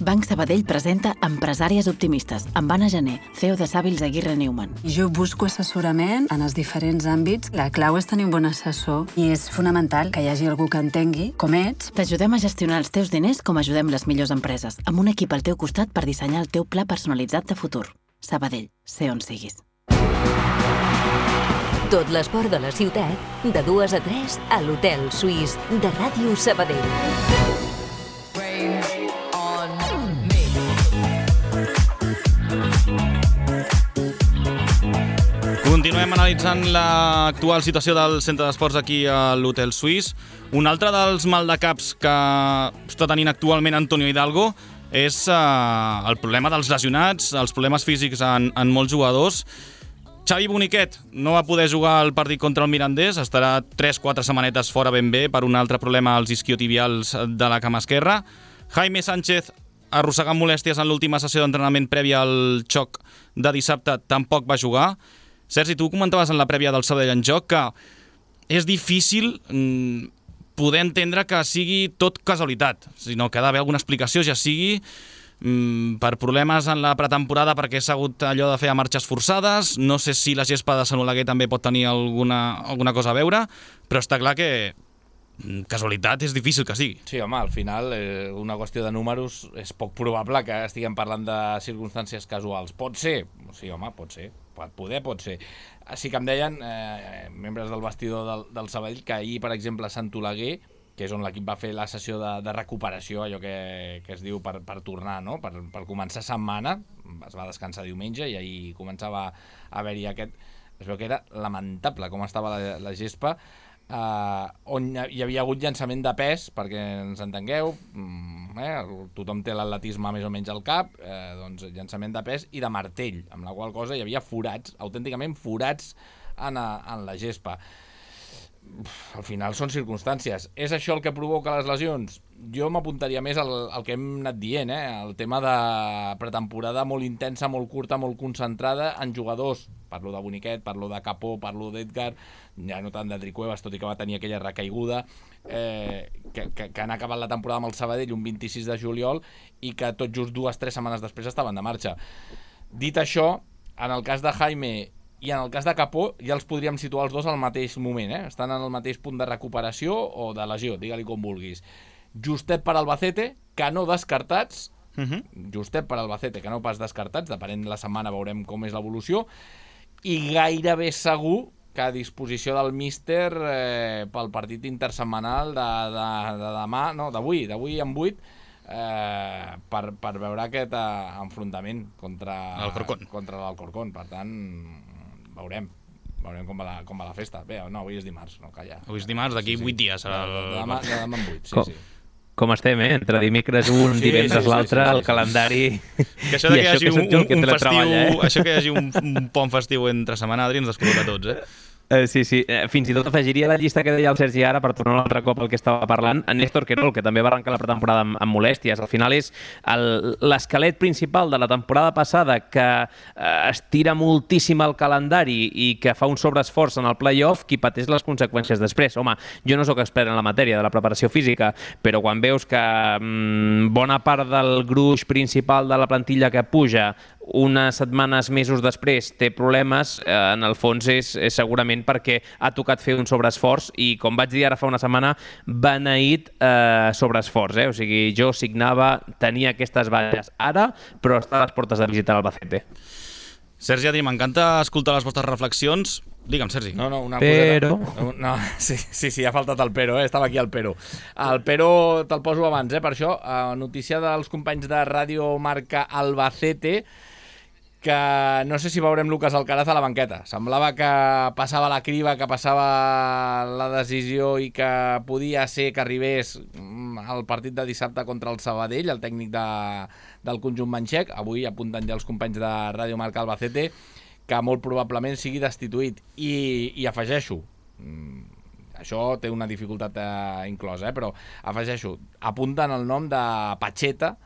Banc Sabadell presenta Empresàries Optimistes, amb Anna Gené, CEO de Sàvils Aguirre Newman. Jo busco assessorament en els diferents àmbits. La clau és tenir un bon assessor i és fonamental que hi hagi algú que entengui com ets. T'ajudem a gestionar els teus diners com ajudem les millors empreses, amb un equip al teu costat per dissenyar el teu pla personalitzat de futur. Sabadell, sé on siguis. Tot l'esport de la ciutat, de 2 a 3 a l'Hotel Suís de Ràdio Sabadell. Continuem analitzant l'actual situació del centre d'esports aquí a l'Hotel Suís. Un altre dels maldecaps que està tenint actualment Antonio Hidalgo és el problema dels lesionats, els problemes físics en molts jugadors. Xavi Boniquet no va poder jugar el partit contra el Mirandés, estarà 3-4 setmanetes fora ben bé per un altre problema als isquiotibials de la cama esquerra. Jaime Sánchez, arrossegant molèsties en l'última sessió d'entrenament prèvia al xoc de dissabte, tampoc va jugar. Sergi, tu comentaves en la prèvia del Sabadell en joc que és difícil poder entendre que sigui tot casualitat, sinó que ha d'haver alguna explicació, ja sigui per problemes en la pretemporada perquè s'ha hagut allò de fer a marxes forçades, no sé si la gespa de Sant Oleguer també pot tenir alguna cosa a veure, però està clar que casualitat és difícil que sigui. Sí, home, al final una qüestió de números és poc probable que estiguem parlant de circumstàncies casuals. Pot ser? Sí, home, pot ser. Pot ser. Sí que em deien membres del vestidor del Sabadell que ahir, per exemple, a Sant Oleguer, que és on l'equip va fer la sessió de recuperació, allò que es diu per tornar, no? Per començar setmana, es va descansar diumenge i ahir començava a haver-hi aquest... Es veu que era lamentable com estava la gespa, on hi havia hagut llançament de pes, perquè ens entengueu, tothom té l'atletisme més o menys al cap, doncs llançament de pes i de martell, amb la qual cosa hi havia forats, autènticament forats en la gespa. Al final són circumstàncies. És això el que provoca les lesions? Jo m'apuntaria més al que hem anat dient, el tema de pretemporada molt intensa, molt curta, molt concentrada en jugadors. Parlo de Boniquet, parlo de Capó, parlo d'Edgar, ja no tant d'Adri Cuevas, tot i que va tenir aquella recaiguda, que han acabat la temporada amb el Sabadell un 26 de juliol i que tot just 2-3 setmanes després estaven de marxa. Dit això, en el cas de Jaime i en el cas de Capó ja els podríem situar els dos al mateix moment, estan en el mateix punt de recuperació o de lesió, digue-li com vulguis. Justet per Albacete, que no descartats, justet per Albacete, que no pas descartats, depenent de la setmana veurem com és l'evolució, i gairebé segur que a disposició del míster pel partit intersetmanal de demà, no, d'avui en 8, per veure aquest enfrontament contra l'Alcorcón. Per tant, veurem com va la festa. Bé, no, avui és dimarts, no, calla. Avui és dimarts, d'aquí 8 dies serà demà en 8, sí. Com estem, entre dimecres un, divendres l'altre, el calendari... Que això que hi hagi un festiu, això que hi hagi un pont festiu entre setmana, Adri, ens descol·loca tots, Sí. Fins i tot afegiria la llista que deia el Sergi ara, per tornar un altre cop al que estava parlant, en Néstor Querol, que també va arrencar la pretemporada amb molèsties. Al final és l'esquelet principal de la temporada passada, que estira moltíssim el calendari i que fa un sobreesforç en el play-off, qui pateix les conseqüències després. Home, jo no sóc expert en la matèria de la preparació física, però quan veus que bona part del gruix principal de la plantilla que puja unes setmanes, mesos després té problemes, en el fons és segurament perquè ha tocat fer un sobreesforç i, com vaig dir ara fa una setmana, beneït sobreesforç. O sigui, jo signava, tenia aquestes bases ara, però està a les portes de visitar l'Albacete. Sergi, Adri, m'encanta escoltar les vostres reflexions. Digue'm, Sergi. No, una però... coseta. No, sí, ha faltat el però, estava aquí el però. El però te'l poso abans, per això. Notícia dels companys de Ràdio Marca Albacete, que no sé si veurem Lucas Alcaraz a la banqueta. Semblava que passava la criba, que passava la decisió i que podia ser que arribés al partit de dissabte contra el Sabadell, el tècnic del conjunt manxec. Avui apunten ja els companys de Ràdio Marca Albacete que molt probablement sigui destituït. I afegeixo, això té una dificultat inclosa, però afegeixo, apunten el nom de Pacheta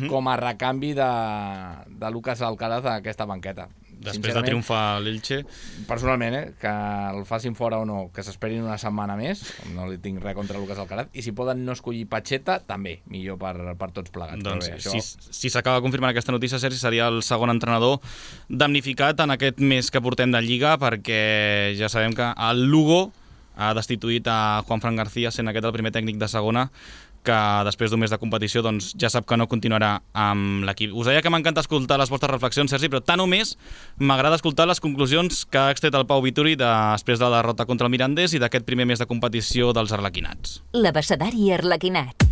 com a recanvi de Lucas Alcaraz a aquesta banqueta. Després de triomfar l'Elche. Personalment, que el facin fora o no, que s'esperin una setmana més, no li tinc res contra Lucas Alcaraz, i si poden no escollir Pacheta, també, millor per tots plegats. Doncs bé, això... si s'acaba confirmant aquesta notícia, Sergi, seria el segon entrenador damnificat en aquest mes que portem de Lliga, perquè ja sabem que el Lugo ha destituït a Juanfran García, sent aquest el primer tècnic de segona que després d'un mes de competició doncs, ja sap que no continuarà amb l'equip. Us deia que m'encanta escoltar les vostres reflexions, Sergi, però tant o més m'agrada escoltar les conclusions que ha extret el Pau Vituri després de la derrota contra el Mirandés i d'aquest primer mes de competició dels arlequinats. L'abecedari arlequinat.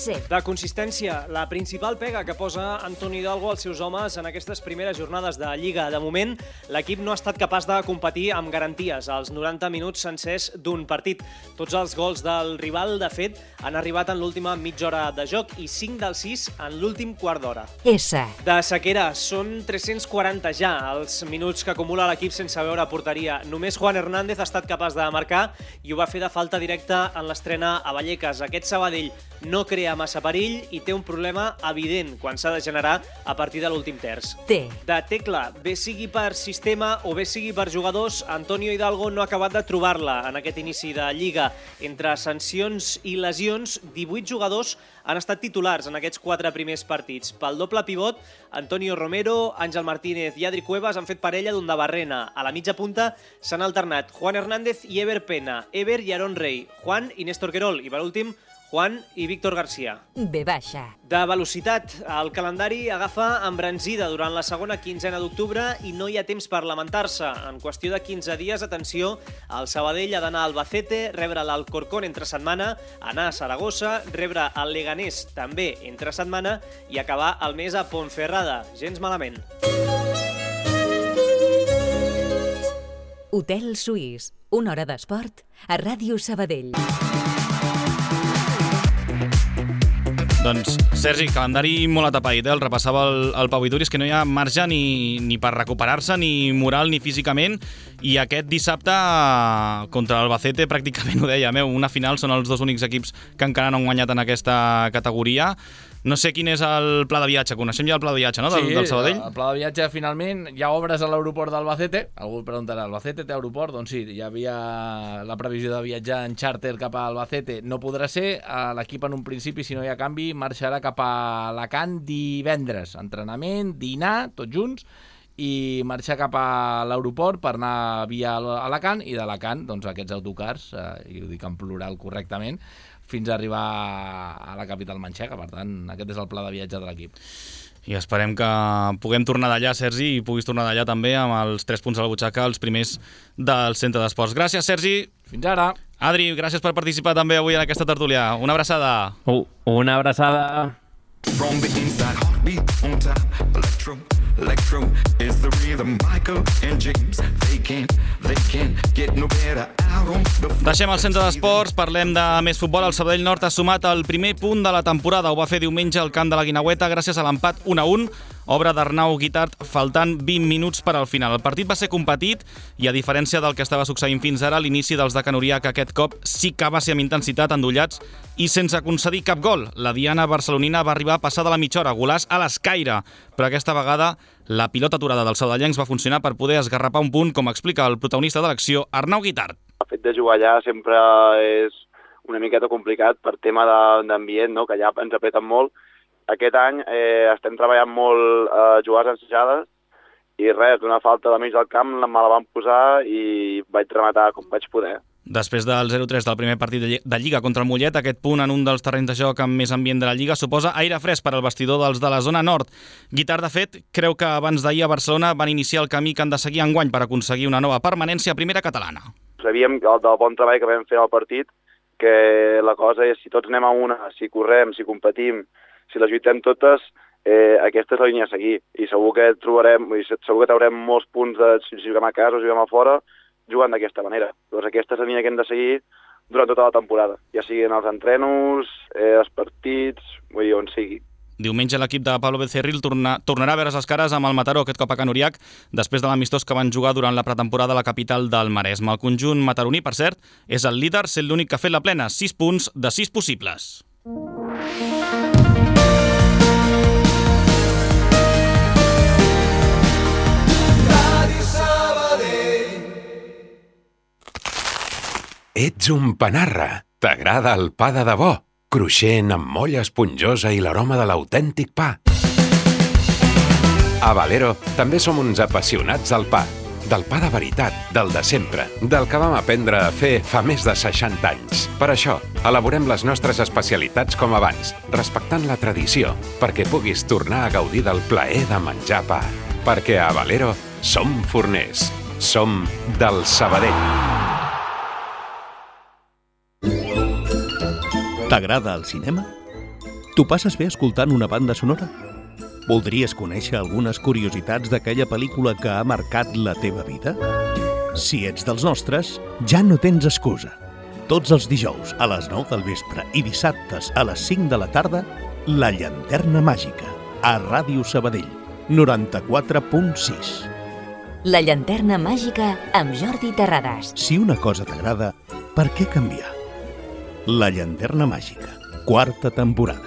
De consistència, la principal pega que posa Antoni Hidalgo als seus homes en aquestes primeres jornades de Lliga. De moment, l'equip no ha estat capaç de competir amb garanties als 90 minuts sencers d'un partit. Tots els gols del rival, de fet, han arribat en l'última mitja hora de joc i 5 dels 6 en l'últim quart d'hora. De sequera, són 340 ja els minuts que acumula l'equip sense veure porteria. Només Juan Hernández ha estat capaç de marcar i ho va fer de falta directa en l'estrena a Vallecas. Aquest Sabadell no crea massa perill i té un problema evident quan s'ha de generar a partir de l'últim terç. De tecla, bé sigui per sistema o bé sigui per jugadors, Antonio Hidalgo no ha acabat de trobar-la en aquest inici de Lliga. Entre sancions i lesions, 18 jugadors han estat titulars en aquests 4 primers partits. Pel doble pivot, Antonio Romero, Àngel Martínez i Adri Cuevas han fet parella d'un de barrena. A la mitja punta s'han alternat Juan Hernández i Ever Pena, Ever i Aaron Rey, Juan i Néstor Querol i, per últim, Juan i Víctor García. De velocitat, el calendari agafa embranzida durant la segona quinzena d'octubre i no hi ha temps per lamentar-se. En qüestió de 15 dies, atenció, el Sabadell ha d'anar a Albacete, rebre l'Alcorcón entre setmana, anar a Saragossa, rebre el Leganés també entre setmana i acabar el mes a Ponferrada. Gens malament. Hotel Suís, una hora d'esport a Ràdio Sabadell. Doncs, Sergi, calendari molt atapeït, el repassava el Pau Vituri, és que no hi ha marge ni per recuperar-se, ni moral ni físicament, i aquest dissabte contra l'Albacete pràcticament ho deia, una final, són els 2 únics equips que encara no han guanyat en aquesta categoria. No sé quin és el pla de viatge, coneixem ja el pla de viatge, no?, del Sabadell? Sí, el pla de viatge finalment, hi ha obres a l'aeroport d'Albacete, algú preguntarà, Albacete té aeroport? Doncs sí, hi havia la previsió de viatjar en xàrter cap a Albacete, no podrà ser, l'equip en un principi, si no hi ha canvi, marxarà cap a Alacant divendres, entrenament, dinar, tots junts, i marxar cap a l'aeroport per anar via Alacant, i d'Alacant, doncs aquests autocars, i ho dic en plural correctament, fins a arribar a la capital manxega. Per tant, aquest és el pla de viatge de l'equip. I esperem que puguem tornar d'allà, Sergi, i puguis tornar d'allà també amb els 3 punts a la butxaca, els primers del centre d'esports. Gràcies, Sergi. Fins ara. Adri, gràcies per participar també avui en aquesta tertúlia. Una abraçada. Una abraçada. From the inside, heartbeat on top, electro is the rhythm. Michael and James, they can't get no better out on the floor. Deixem el centre d'esports, parlem de més futbol. El Sabadell Nord ha sumat el primer punt de la temporada. Ho va fer diumenge al camp de la Guineueta gràcies a l'empat 1-1, obra d'Arnau Guitart, faltant 20 minuts per al final. El partit va ser competit i, a diferència del que estava succeint fins ara, l'inici dels de Canurià, que aquest cop sí que va ser amb intensitat, endollats i sense concedir cap gol. La diana barcelonina va arribar a passar de la mitja hora, golàs a l'escaire, però aquesta vegada la pilota aturada dels saudellencs va funcionar per poder esgarrapar un punt, com explica el protagonista de l'acció, Arnau Guitart. El fet de jugar allà sempre és una miqueta complicat per tema d'ambient, no? Que allà ens apreten molt. Aquest any estem treballant molt jugades ensajades i res, una falta de mig del camp me la van posar i vaig rematar com vaig poder. Després del 0-3 del primer partit de Lliga contra el Mollet, aquest punt en un dels terrenys de joc amb més ambient de la Lliga suposa aire fresc per al vestidor dels de la zona nord. Guitart, de fet, creu que abans d'ahir a Barcelona van iniciar el camí que han de seguir enguany per aconseguir una nova permanència a primera catalana. Sabíem del bon treball que vam fer al partit, que la cosa és si tots anem a una, si correm, si competim, si les lluitem totes, aquesta és la línia a seguir. I segur que traurem molts punts si juguem a casa o juguem a fora, jugant d'aquesta manera. Doncs aquesta és la línia que hem de seguir durant tota la temporada, ja siguin els entrenos, els partits, vull dir, on sigui. Diumenge l'equip de Pablo Becerril tornarà a veure les cares amb el Mataró, aquest cop a Can Uriach, després de l'amistós que van jugar durant la pretemporada a la capital del Maresme. El conjunt mataroní, per cert, és el líder, sent l'únic que ha fet la plena, 6 punts de 6 possibles. Ets un panarra. T'agrada el pa de debò, cruixent amb molla esponjosa i l'aroma de l'autèntic pa. A Valero també som uns apassionats del pa. del pa de veritat, del de sempre, del que vam aprendre a fer fa més de 60 anys. Per això, elaborem les nostres especialitats com abans, respectant la tradició, perquè puguis tornar a gaudir del plaer de menjar pa. Perquè a Valero som forners. Som del Sabadell. T'agrada el cinema? T'ho passes bé escoltant una banda sonora? Voldries conèixer algunes curiositats d'aquella pel·lícula que ha marcat la teva vida? Si ets dels nostres, ja no tens excusa. Tots els dijous a les 9 del vespre i dissabtes a les 5 de la tarda, La Llanterna Màgica, a Ràdio Sabadell, 94.6. La Llanterna Màgica amb Jordi Terrades. Si una cosa t'agrada, per què canviar? La Llanterna Màgica, 4ª temporada.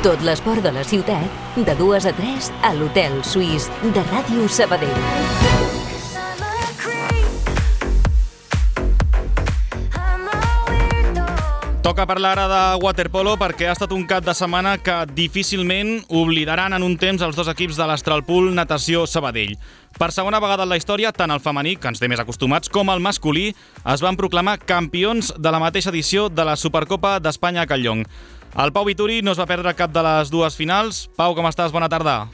Tot l'esport de la ciutat, de 2 a 3 a l'Hotel Suís de Ràdio Sabadell. Toca parlar ara de waterpolo perquè ha estat un cap de setmana que difícilment oblidaran en un temps els dos equips de l'Astralpool Natació Sabadell. Per segona vegada en la història, tant el femení, que ens té més acostumats, com el masculí es van proclamar campions de la mateixa edició de la Supercopa d'Espanya a Catlllong. El Pau Vituri no es va perdre cap de les dues finals. Pau, com estàs? Bona tarda.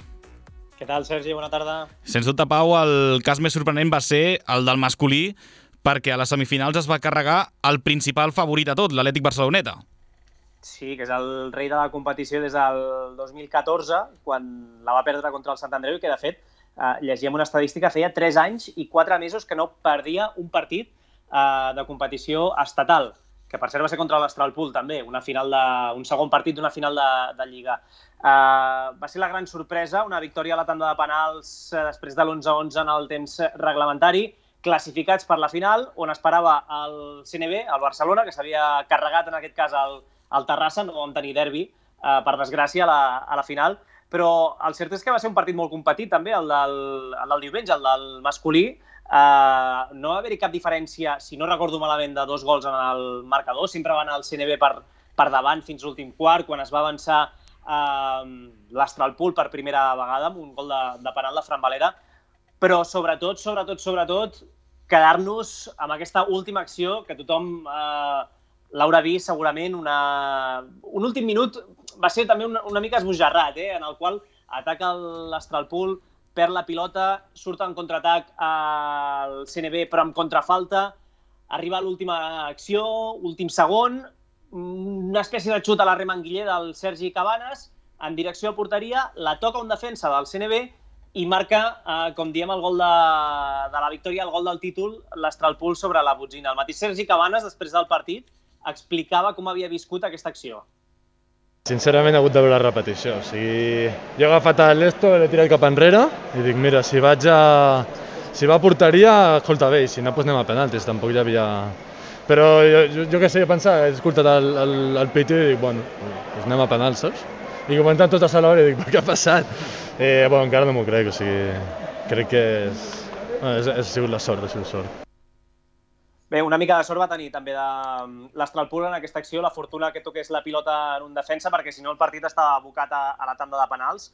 Què tal, Sergi? Bona tarda. Sens dubte, Pau, el cas més sorprenent va ser el del masculí, perquè a les semifinals es va carregar el principal favorit a tot, l'Atlètic Barceloneta. Sí, que és el rei de la competició des del 2014, quan la va perdre contra el Sant Andreu, i que, de fet, llegíem una estadística, feia 3 anys i 4 mesos que no perdia un partit de competició estatal, que per cert va ser contra l'Astralpool també, un segon partit d'una final de Lliga. Va ser la gran sorpresa, una victòria a la tanda de penals després de l'11-11 en el temps reglamentari, classificats per la final, on esperava el CNB, el Barcelona, que s'havia carregat en aquest cas al Terrassa, no vam tenir derbi, per desgràcia, a la final, però el cert és que va ser un partit molt competit també, el del diumenge, el del masculí. No va haver-hi cap diferència, si no recordo malament, de 2 gols en el marcador, sempre va anar el CNB per davant fins l'últim quart, quan es va avançar l'Astralpool per primera vegada amb un gol de penal de Fran Valera, però sobretot, quedar-nos amb aquesta última acció que tothom l'haurà vist segurament. Un últim minut va ser també una mica esbojarrat, en el qual ataca l'Astralpool, perd la pilota, surt en contraatac al CNB però amb contrafalta, arriba a l'última acció, últim segon, una espècie de xut a la remanguiller del Sergi Cabanes en direcció a porteria, la toca un defensa del CNB i marca, com diem, el gol de la victòria, el gol del títol, l'Astralpool sobre la Botzina. El mateix Sergi Cabanes, després del partit, explicava com havia viscut aquesta acció. Sincerament he hagut de veure la repetició. O sigui, jo he agafat l'esto, l'he tirat cap enrere i dic, mira, si va a porteria, escolta bé, i si no, doncs anem a penaltis, tampoc hi havia... Però jo què sé, he pensat, he escoltat el piti i dic, bueno, doncs anem a penals, saps? I comentant tot a l'hora i dic, què ha passat? Encara no m'ho crec, o sigui, crec que ha sigut la sort, Bé, una mica de sort va tenir també de l'Astralpool en aquesta acció, la fortuna que toqués la pilota en un defensa, perquè si no el partit estava abocat a la tanda de penals.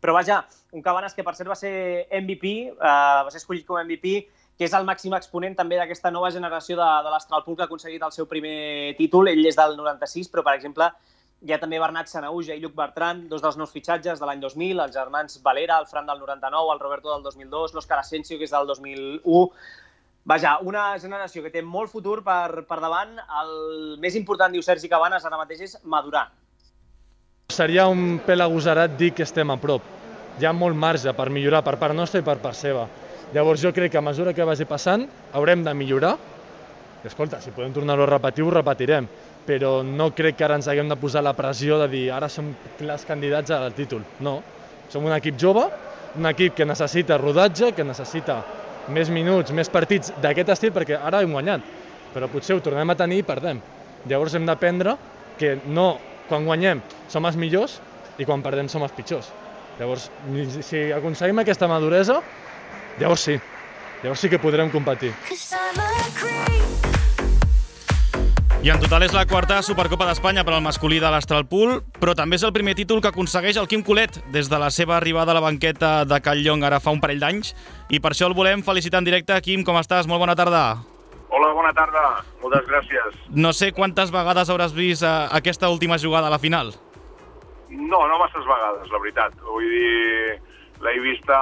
Però vaja, un Cabanes que per cert va ser MVP, va ser escollit com MVP, que és el màxim exponent també d'aquesta nova generació de l'Astralpool que ha aconseguit el seu primer títol. Ell és del 96, però per exemple hi ha també Bernat Sanahuja i Lluc Bertran, 2 dels nous fitxatges de l'any 2000, els germans Valera, el Fran del 99, el Roberto del 2002, l'Òscar Asensio, que és del 2001. Vaja, una generació que té molt futur per davant. El més important, diu Sergi Cabanes, ara mateix és madurar. Seria un pèl agosarat dir que estem a prop. Hi ha molt marge per millorar per part nostra i per part seva. Llavors jo crec que a mesura que vagi passant haurem de millorar. I escolta, si podem tornar-ho a repetir, ho repetirem. Però no crec que ara ens haguem de posar la pressió de dir ara som clars candidats al títol. No, som un equip jove, un equip que necessita rodatge, que necessita més minuts, més partits d'aquest estil, perquè ara hem guanyat, però potser ho tornem a tenir i perdem. Llavors hem d'aprendre que no, quan guanyem som els millors i quan perdem som els pitjors. Llavors, si aconseguim aquesta maduresa, llavors sí que podrem competir. I en total és la quarta Supercopa d'Espanya per al masculí de l'Astralpool, però també és el primer títol que aconsegueix el Quim Colet des de la seva arribada a la banqueta de Catlllong ara fa un parell d'anys, i per això el volem felicitar en directe. Quim, com estàs? Molt bona tarda. Hola, bona tarda. Moltes gràcies. No sé quantes vegades hauràs vist aquesta última jugada a la final. No masses vegades, la veritat. Vull dir, l'he vista...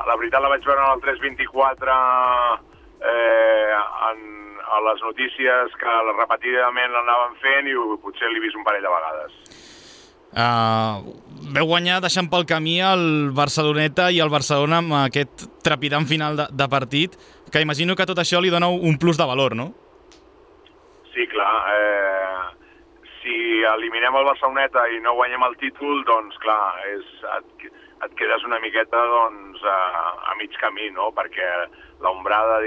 La veritat la vaig veure en el 324 a les notícies que repetidament l'anaven fent i potser l'he vist un parell de vegades. Veu guanyar deixant pel camí el Barceloneta i el Barcelona amb aquest trepidant final de partit, que imagino que tot això li dona un plus de valor, no? Sí, clar. Si eliminem el Barceloneta i no guanyem el títol, doncs clar, et quedes una miqueta doncs, a mig camí, no? Perquè l'ombrada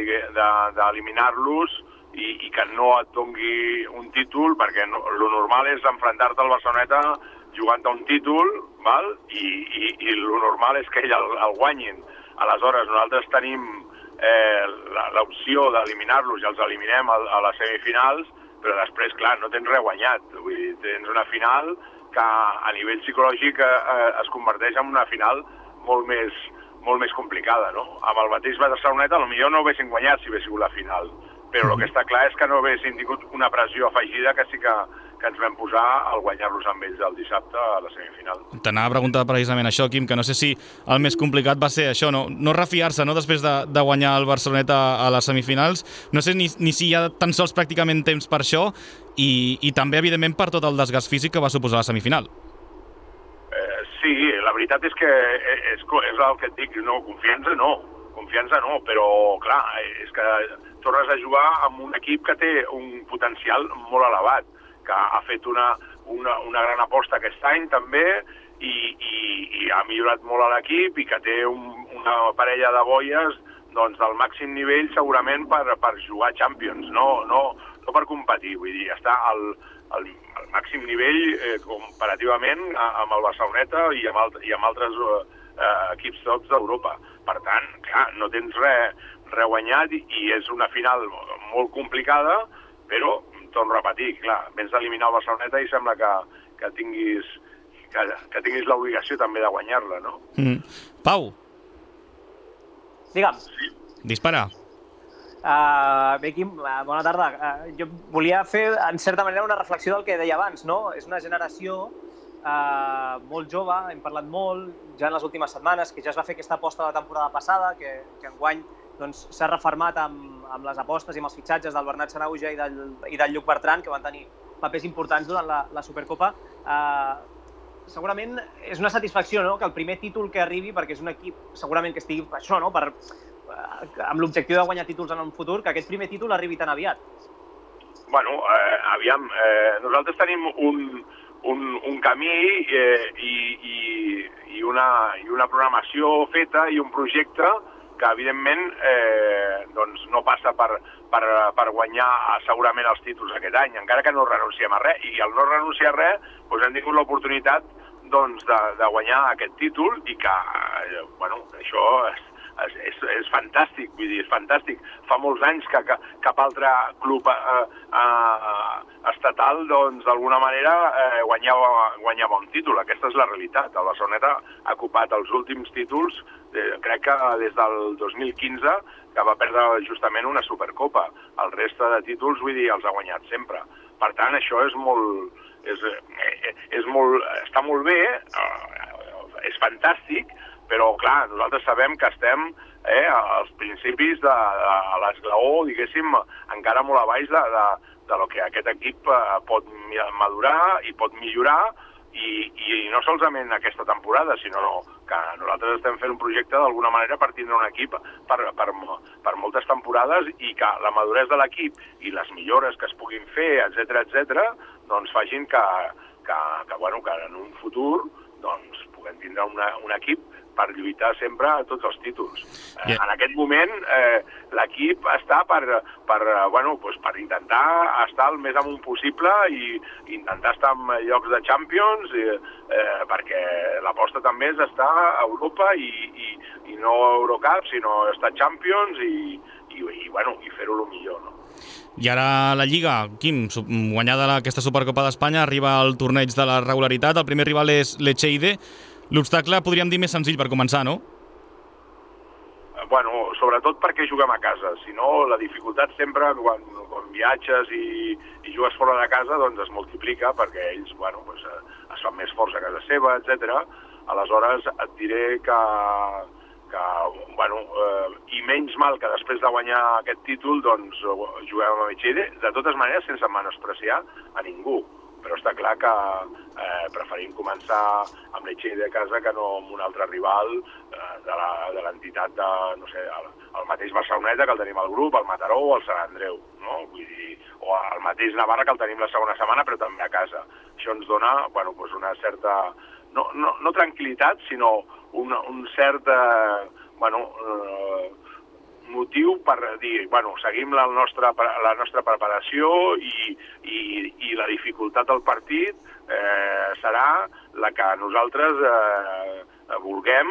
d'eliminar-los i que no et dongui un títol, perquè lo normal és enfrontar-te al Barceloneta jugant a un títol, val? I lo normal és que ell el guanyin. Aleshores, nosaltres tenim l'opció d'eliminar-los i els eliminem a les semifinals, però després, clar, no tens res guanyat. Vull dir, tens una final que a nivell psicològic es converteix en una final molt més complicada, no? Amb el mateix Barceloneta potser no haguessin guanyat si hagués sigut la final, però el que està clar és que no haguessin tingut una pressió afegida que sí que ens vam posar al guanyar-los amb ells el dissabte a la semifinal. T'anava a preguntar precisament això, Quim, que no sé si el més complicat va ser això, no refiar-se, no, després de guanyar el Barceloneta a les semifinals. No sé ni si hi ha tan sols pràcticament temps per això i també, evidentment, per tot el desgast físic que va suposar la semifinal. Sí, la veritat és que és el que et dic, confiança no, però clar, és que tornes a jugar amb un equip que té un potencial molt elevat, que ha fet una gran aposta aquest any també i ha millorat molt a l'equip i que té una parella de boies doncs, del màxim nivell segurament per jugar Champions, no per competir, vull dir, està al màxim nivell comparativament amb el Barceloneta i amb altres equips tots d'Europa. Per tant, clar, no tens res guanyat i és una final molt complicada, però torno a repetir, clar, vens d'eliminar el Barceloneta i sembla que tinguis l'obligació també de guanyar-la, no? Pau. Digue'm. Sí. Dispara. Bé, Quim, bona tarda. Jo volia fer, en certa manera, una reflexió del que deia abans, no? És una generació molt jove, hem parlat molt ja en les últimes setmanes, que ja es va fer aquesta aposta de la temporada passada, que enguany s'ha refermat amb les apostes i amb els fitxatges del Bernat Sanahuja i del Lluc Bertran, que van tenir papers importants durant la Supercopa. Segurament és una satisfacció, no?, que el primer títol que arribi, perquè és un equip segurament que estigui això, no?, amb l'objectiu de guanyar títols en un futur, que aquest primer títol arribi tan aviat. Bueno, aviam, nosaltres tenim un camí i una programació feta i un projecte que, evidentment, doncs no passa per guanyar segurament els títols aquest any, encara que no renunciem a res. I al no renunciar a res, doncs hem tingut l'oportunitat de guanyar aquest títol i que, bueno, això és fantàstic, vull dir, és fantàstic. Fa molts anys que cap altre club estatal, doncs, d'alguna manera guanyava un títol. Aquesta és la realitat. El Barceloneta ha ocupat els últims títols, crec que des del 2015, que va perdre justament una Supercopa. El reste de títols, vull dir, els ha guanyat sempre. Per tant, això està molt bé, és fantàstic, però, clar, nosaltres sabem que estem als principis de l'esglaó, diguéssim, encara molt a baix de lo que aquest equip pot madurar i pot millorar, i no solament aquesta temporada, sinó que nosaltres estem fent un projecte d'alguna manera per tindre un equip per moltes temporades i que la maduresa de l'equip i les millores que es puguin fer, etc., doncs facin que en un futur doncs, puguem tindre un equip per lluitar sempre a tots els títols. En aquest moment l'equip està per intentar estar el més amunt possible i intentar estar en llocs de Champions, perquè l'aposta també és estar a Europa i no Eurocup, sinó estar Champions i i fer-ho el millor, no? I ara la Lliga, Quim, guanyada aquesta Supercopa d'Espanya, arriba al torneig de la regularitat, el primer rival és l'Echeide. L'obstacle podríem dir més senzill per començar, no? Bueno, sobretot perquè juguem a casa, si no la dificultat sempre quan viatges i jugues fora de casa doncs es multiplica perquè ells es fan més forts a casa seva, etc. Aleshores et diré que i menys mal que després de guanyar aquest títol doncs juguem amb l'Echeide, de totes maneres sense menospreciar a ningú, però està clar que preferim començar amb l'Echeide a casa que no amb un altre rival de l'entitat de, no sé, el mateix Barceloneta que el tenim al grup, el Mataró o el Sant Andreu, no? Vull dir, o el mateix Navarra que el tenim la segona setmana però també a casa. Això ens dona una certa, no tranquil·litat, sinó un cert motiu per dir, seguim la nostra preparació i la dificultat del partit serà la que nosaltres vulguem,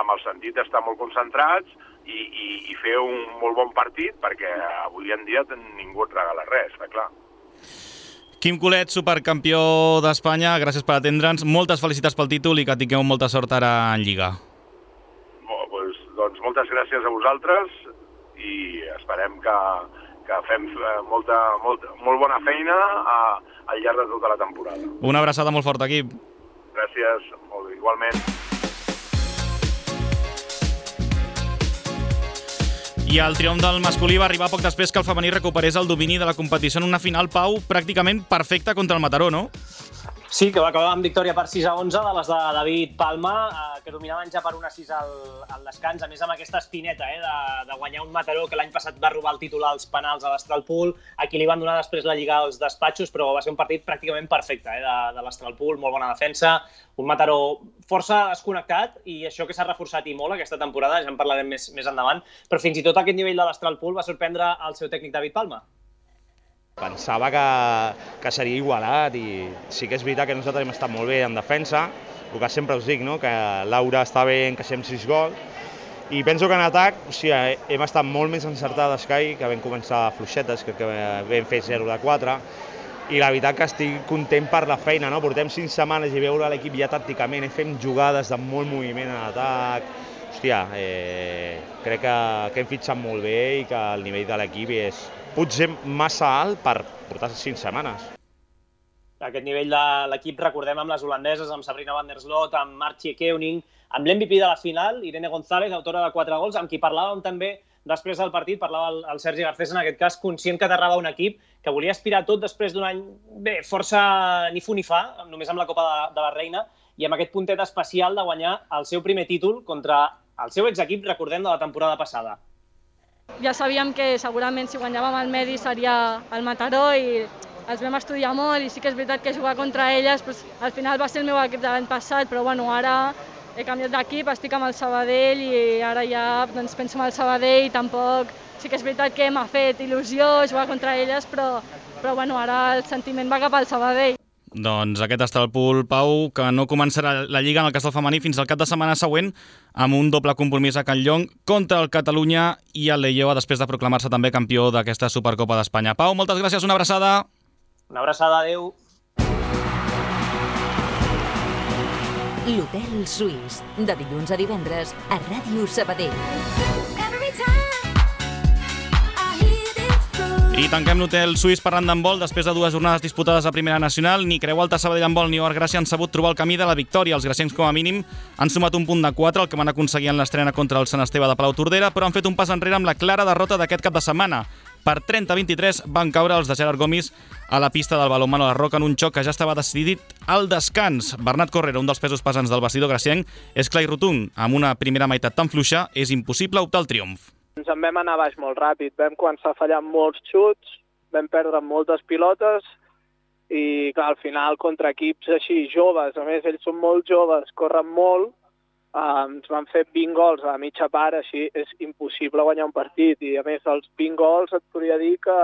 amb el sentit d'estar molt concentrats i fer un molt bon partit, perquè avui en dia ningú et regala res, està clar. Quim Colet, supercampió d'Espanya, gràcies per atendre'ns, moltes felicitats pel títol i que tingueu molta sort ara en Lliga. Doncs moltes gràcies a vosaltres i esperem que fem molt bona feina al llarg de tota la temporada. Una abraçada molt forta, Quim. Gràcies, igualment. I el triomf del masculí va arribar poc després que el femení recuperés el domini de la competició en una final, Pau, pràcticament perfecta contra el Mataró, no? Sí, que va acabar amb victòria per 6-11 de les de David Palma, que dominaven ja per 1-6 al descans, a més amb aquesta espineta de guanyar un Mataró que l'any passat va robar el títol als penals a l'Astralpool, a qui li van donar després la Lliga als despatxos, però va ser un partit pràcticament perfecte de l'Astralpool, molt bona defensa, un Mataró força desconnectat i això que s'ha reforçat i molt aquesta temporada, ja en parlarem més endavant, però fins i tot aquest nivell de l'Astralpool va sorprendre el seu tècnic David Palma. Pensava que seria igualat i sí que és veritat que nosaltres hem estat molt bé en defensa, el que sempre us dic, no? Que Laura està bé, encaixem 6 gols, i penso que en atac hem estat molt més encertades que ahir, que vam començar fluixetes, que vam fer 0-4, i la veritat que estic content per la feina, no? Portem 5 setmanes i veure l'equip ja tàcticament, fem jugades de molt moviment en atac. Hòstia, crec que hem fitxat molt bé i que el nivell de l'equip és potser massa alt per portar 5 setmanes. Aquest nivell de l'equip, recordem, amb les holandeses, amb Sabrina van der Sloot, amb Martje Keuning, amb l'MVP de la final, Irene González, autora de 4 gols, amb qui parlàvem també després del partit, parlava el Sergi Garcés, en aquest cas, conscient que aterrava un equip que volia aspirar tot després d'un any força ni fu ni fa, només amb la Copa de la Reina, i amb aquest puntet especial de guanyar el seu primer títol contra el seu exequip, recordem, de la temporada passada. Ja sabíem que segurament si guanyàvem el Medi seria el Mataró i els vam estudiar molt i sí que és veritat que jugar contra elles al final va ser el meu equip de l'any passat, però ara he canviat d'equip, estic amb el Sabadell i ara ja penso en el Sabadell i tampoc sí que és veritat que m'ha fet il·lusió jugar contra elles, però ara el sentiment va cap al Sabadell. Doncs aquest està el Pool, Pau, que no començarà la Lliga en el cas del femení fins al cap de setmana següent amb un doble compromís a Can Llong contra el Catalunya i el Leioa després de proclamar-se també campió d'aquesta Supercopa d'Espanya. Pau, moltes gràcies, una abraçada. Una abraçada, adeu. L'Hotel Suís, de dilluns a divendres a Ràdio Sabadell. I tanquem l'Hotel Suís parlant d'handbol. Després de 2 jornades disputades a Primera Nacional, ni Creu Alta, Sabadell Handbol ni Or Gràcia han sabut trobar el camí de la victòria. Els graciencs, com a mínim, han sumat un punt de 4, el que van aconseguir en l'estrena contra el Sant Esteve de Palau-Tordera, però han fet un pas enrere amb la clara derrota d'aquest cap de setmana. Per 30-23 van caure els de Gerard Gomis a la pista del balonmano a la Roca en un xoc que ja estava decidit al descans. Bernat Correra, un dels pesos pesants del vestidor gracienc, és clar i rotund. Amb una primera meitat tan fluixa, és impossible optar al triomf. Ens en vam anar baix molt ràpid, vam començar a fallar molts xuts, vam perdre moltes pilotes i, clar, al final, contra equips així joves, a més, ells són molt joves, corren molt, ens van fer 20 gols a la mitja part, així és impossible guanyar un partit. I, a més, els 20 gols et podria dir que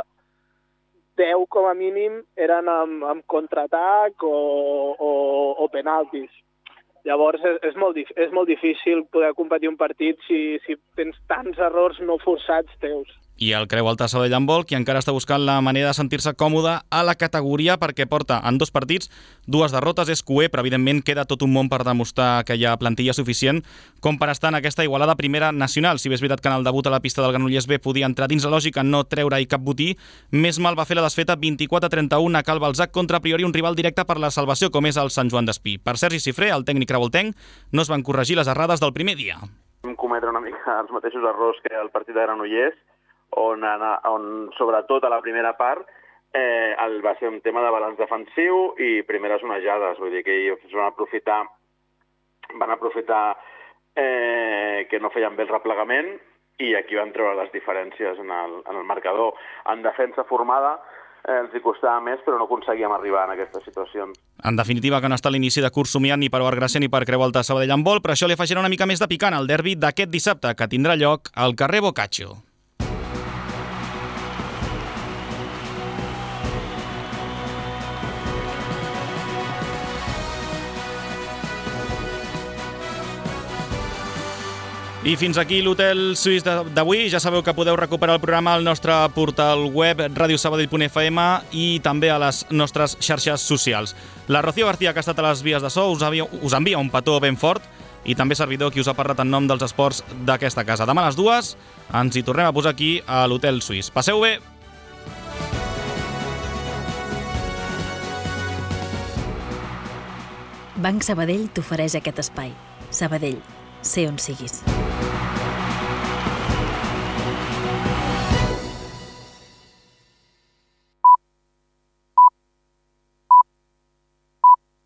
10, com a mínim, eren amb contraatac o penaltis. Llavors, és molt difícil poder competir un partit si tens tants errors no forçats teus. i el Creu Alta Sabadell Handbol, qui encara està buscant la manera de sentir-se còmode a la categoria perquè porta en 2 partits 2 derrotes, és cué, però evidentment queda tot un món per demostrar que hi ha plantilla suficient com per estar en aquesta igualada primera nacional. Si bé és veritat que en el debut a la pista del Granollers B podia entrar dins la lògica, no treure-hi cap botí, més mal va fer la desfeta 24-31 a Cal Balzac contra a priori un rival directe per la salvació com és el Sant Joan d'Espí. Per Sergi Cifré, el tècnic revoltenc, no es van corregir les errades del primer dia. Vam cometre una mica els mateixos errors que el partit de Granollers, on sobretot a la primera part va ser un tema de balanç defensiu i primeres onejades, vull dir que ells van aprofitar que no feien bé el replegament i aquí van treure les diferències en el marcador. En defensa formada els hi costava més, però no aconseguíem arribar en aquestes situacions. En definitiva, que no està l'inici de curs somiat ni per Bar Gràcia ni per Creu Alta Sabadell Handbol, però això li afegirà una mica més de picant al derbi d'aquest dissabte, que tindrà lloc al carrer Boccaccio. I fins aquí l'Hotel Suís d'avui. Ja sabeu que podeu recuperar el programa al nostre portal web radiosabadell.fm i també a les nostres xarxes socials. La Rocío García, que ha estat a les vies de so, us envia un petó ben fort i també servidor qui us ha parlat en nom dels esports d'aquesta casa. Demà a les 2 ens hi tornem a posar aquí a l'Hotel Suís. Passeu bé! Banc Sabadell t'ofereix aquest espai. Sabadell, sé on siguis.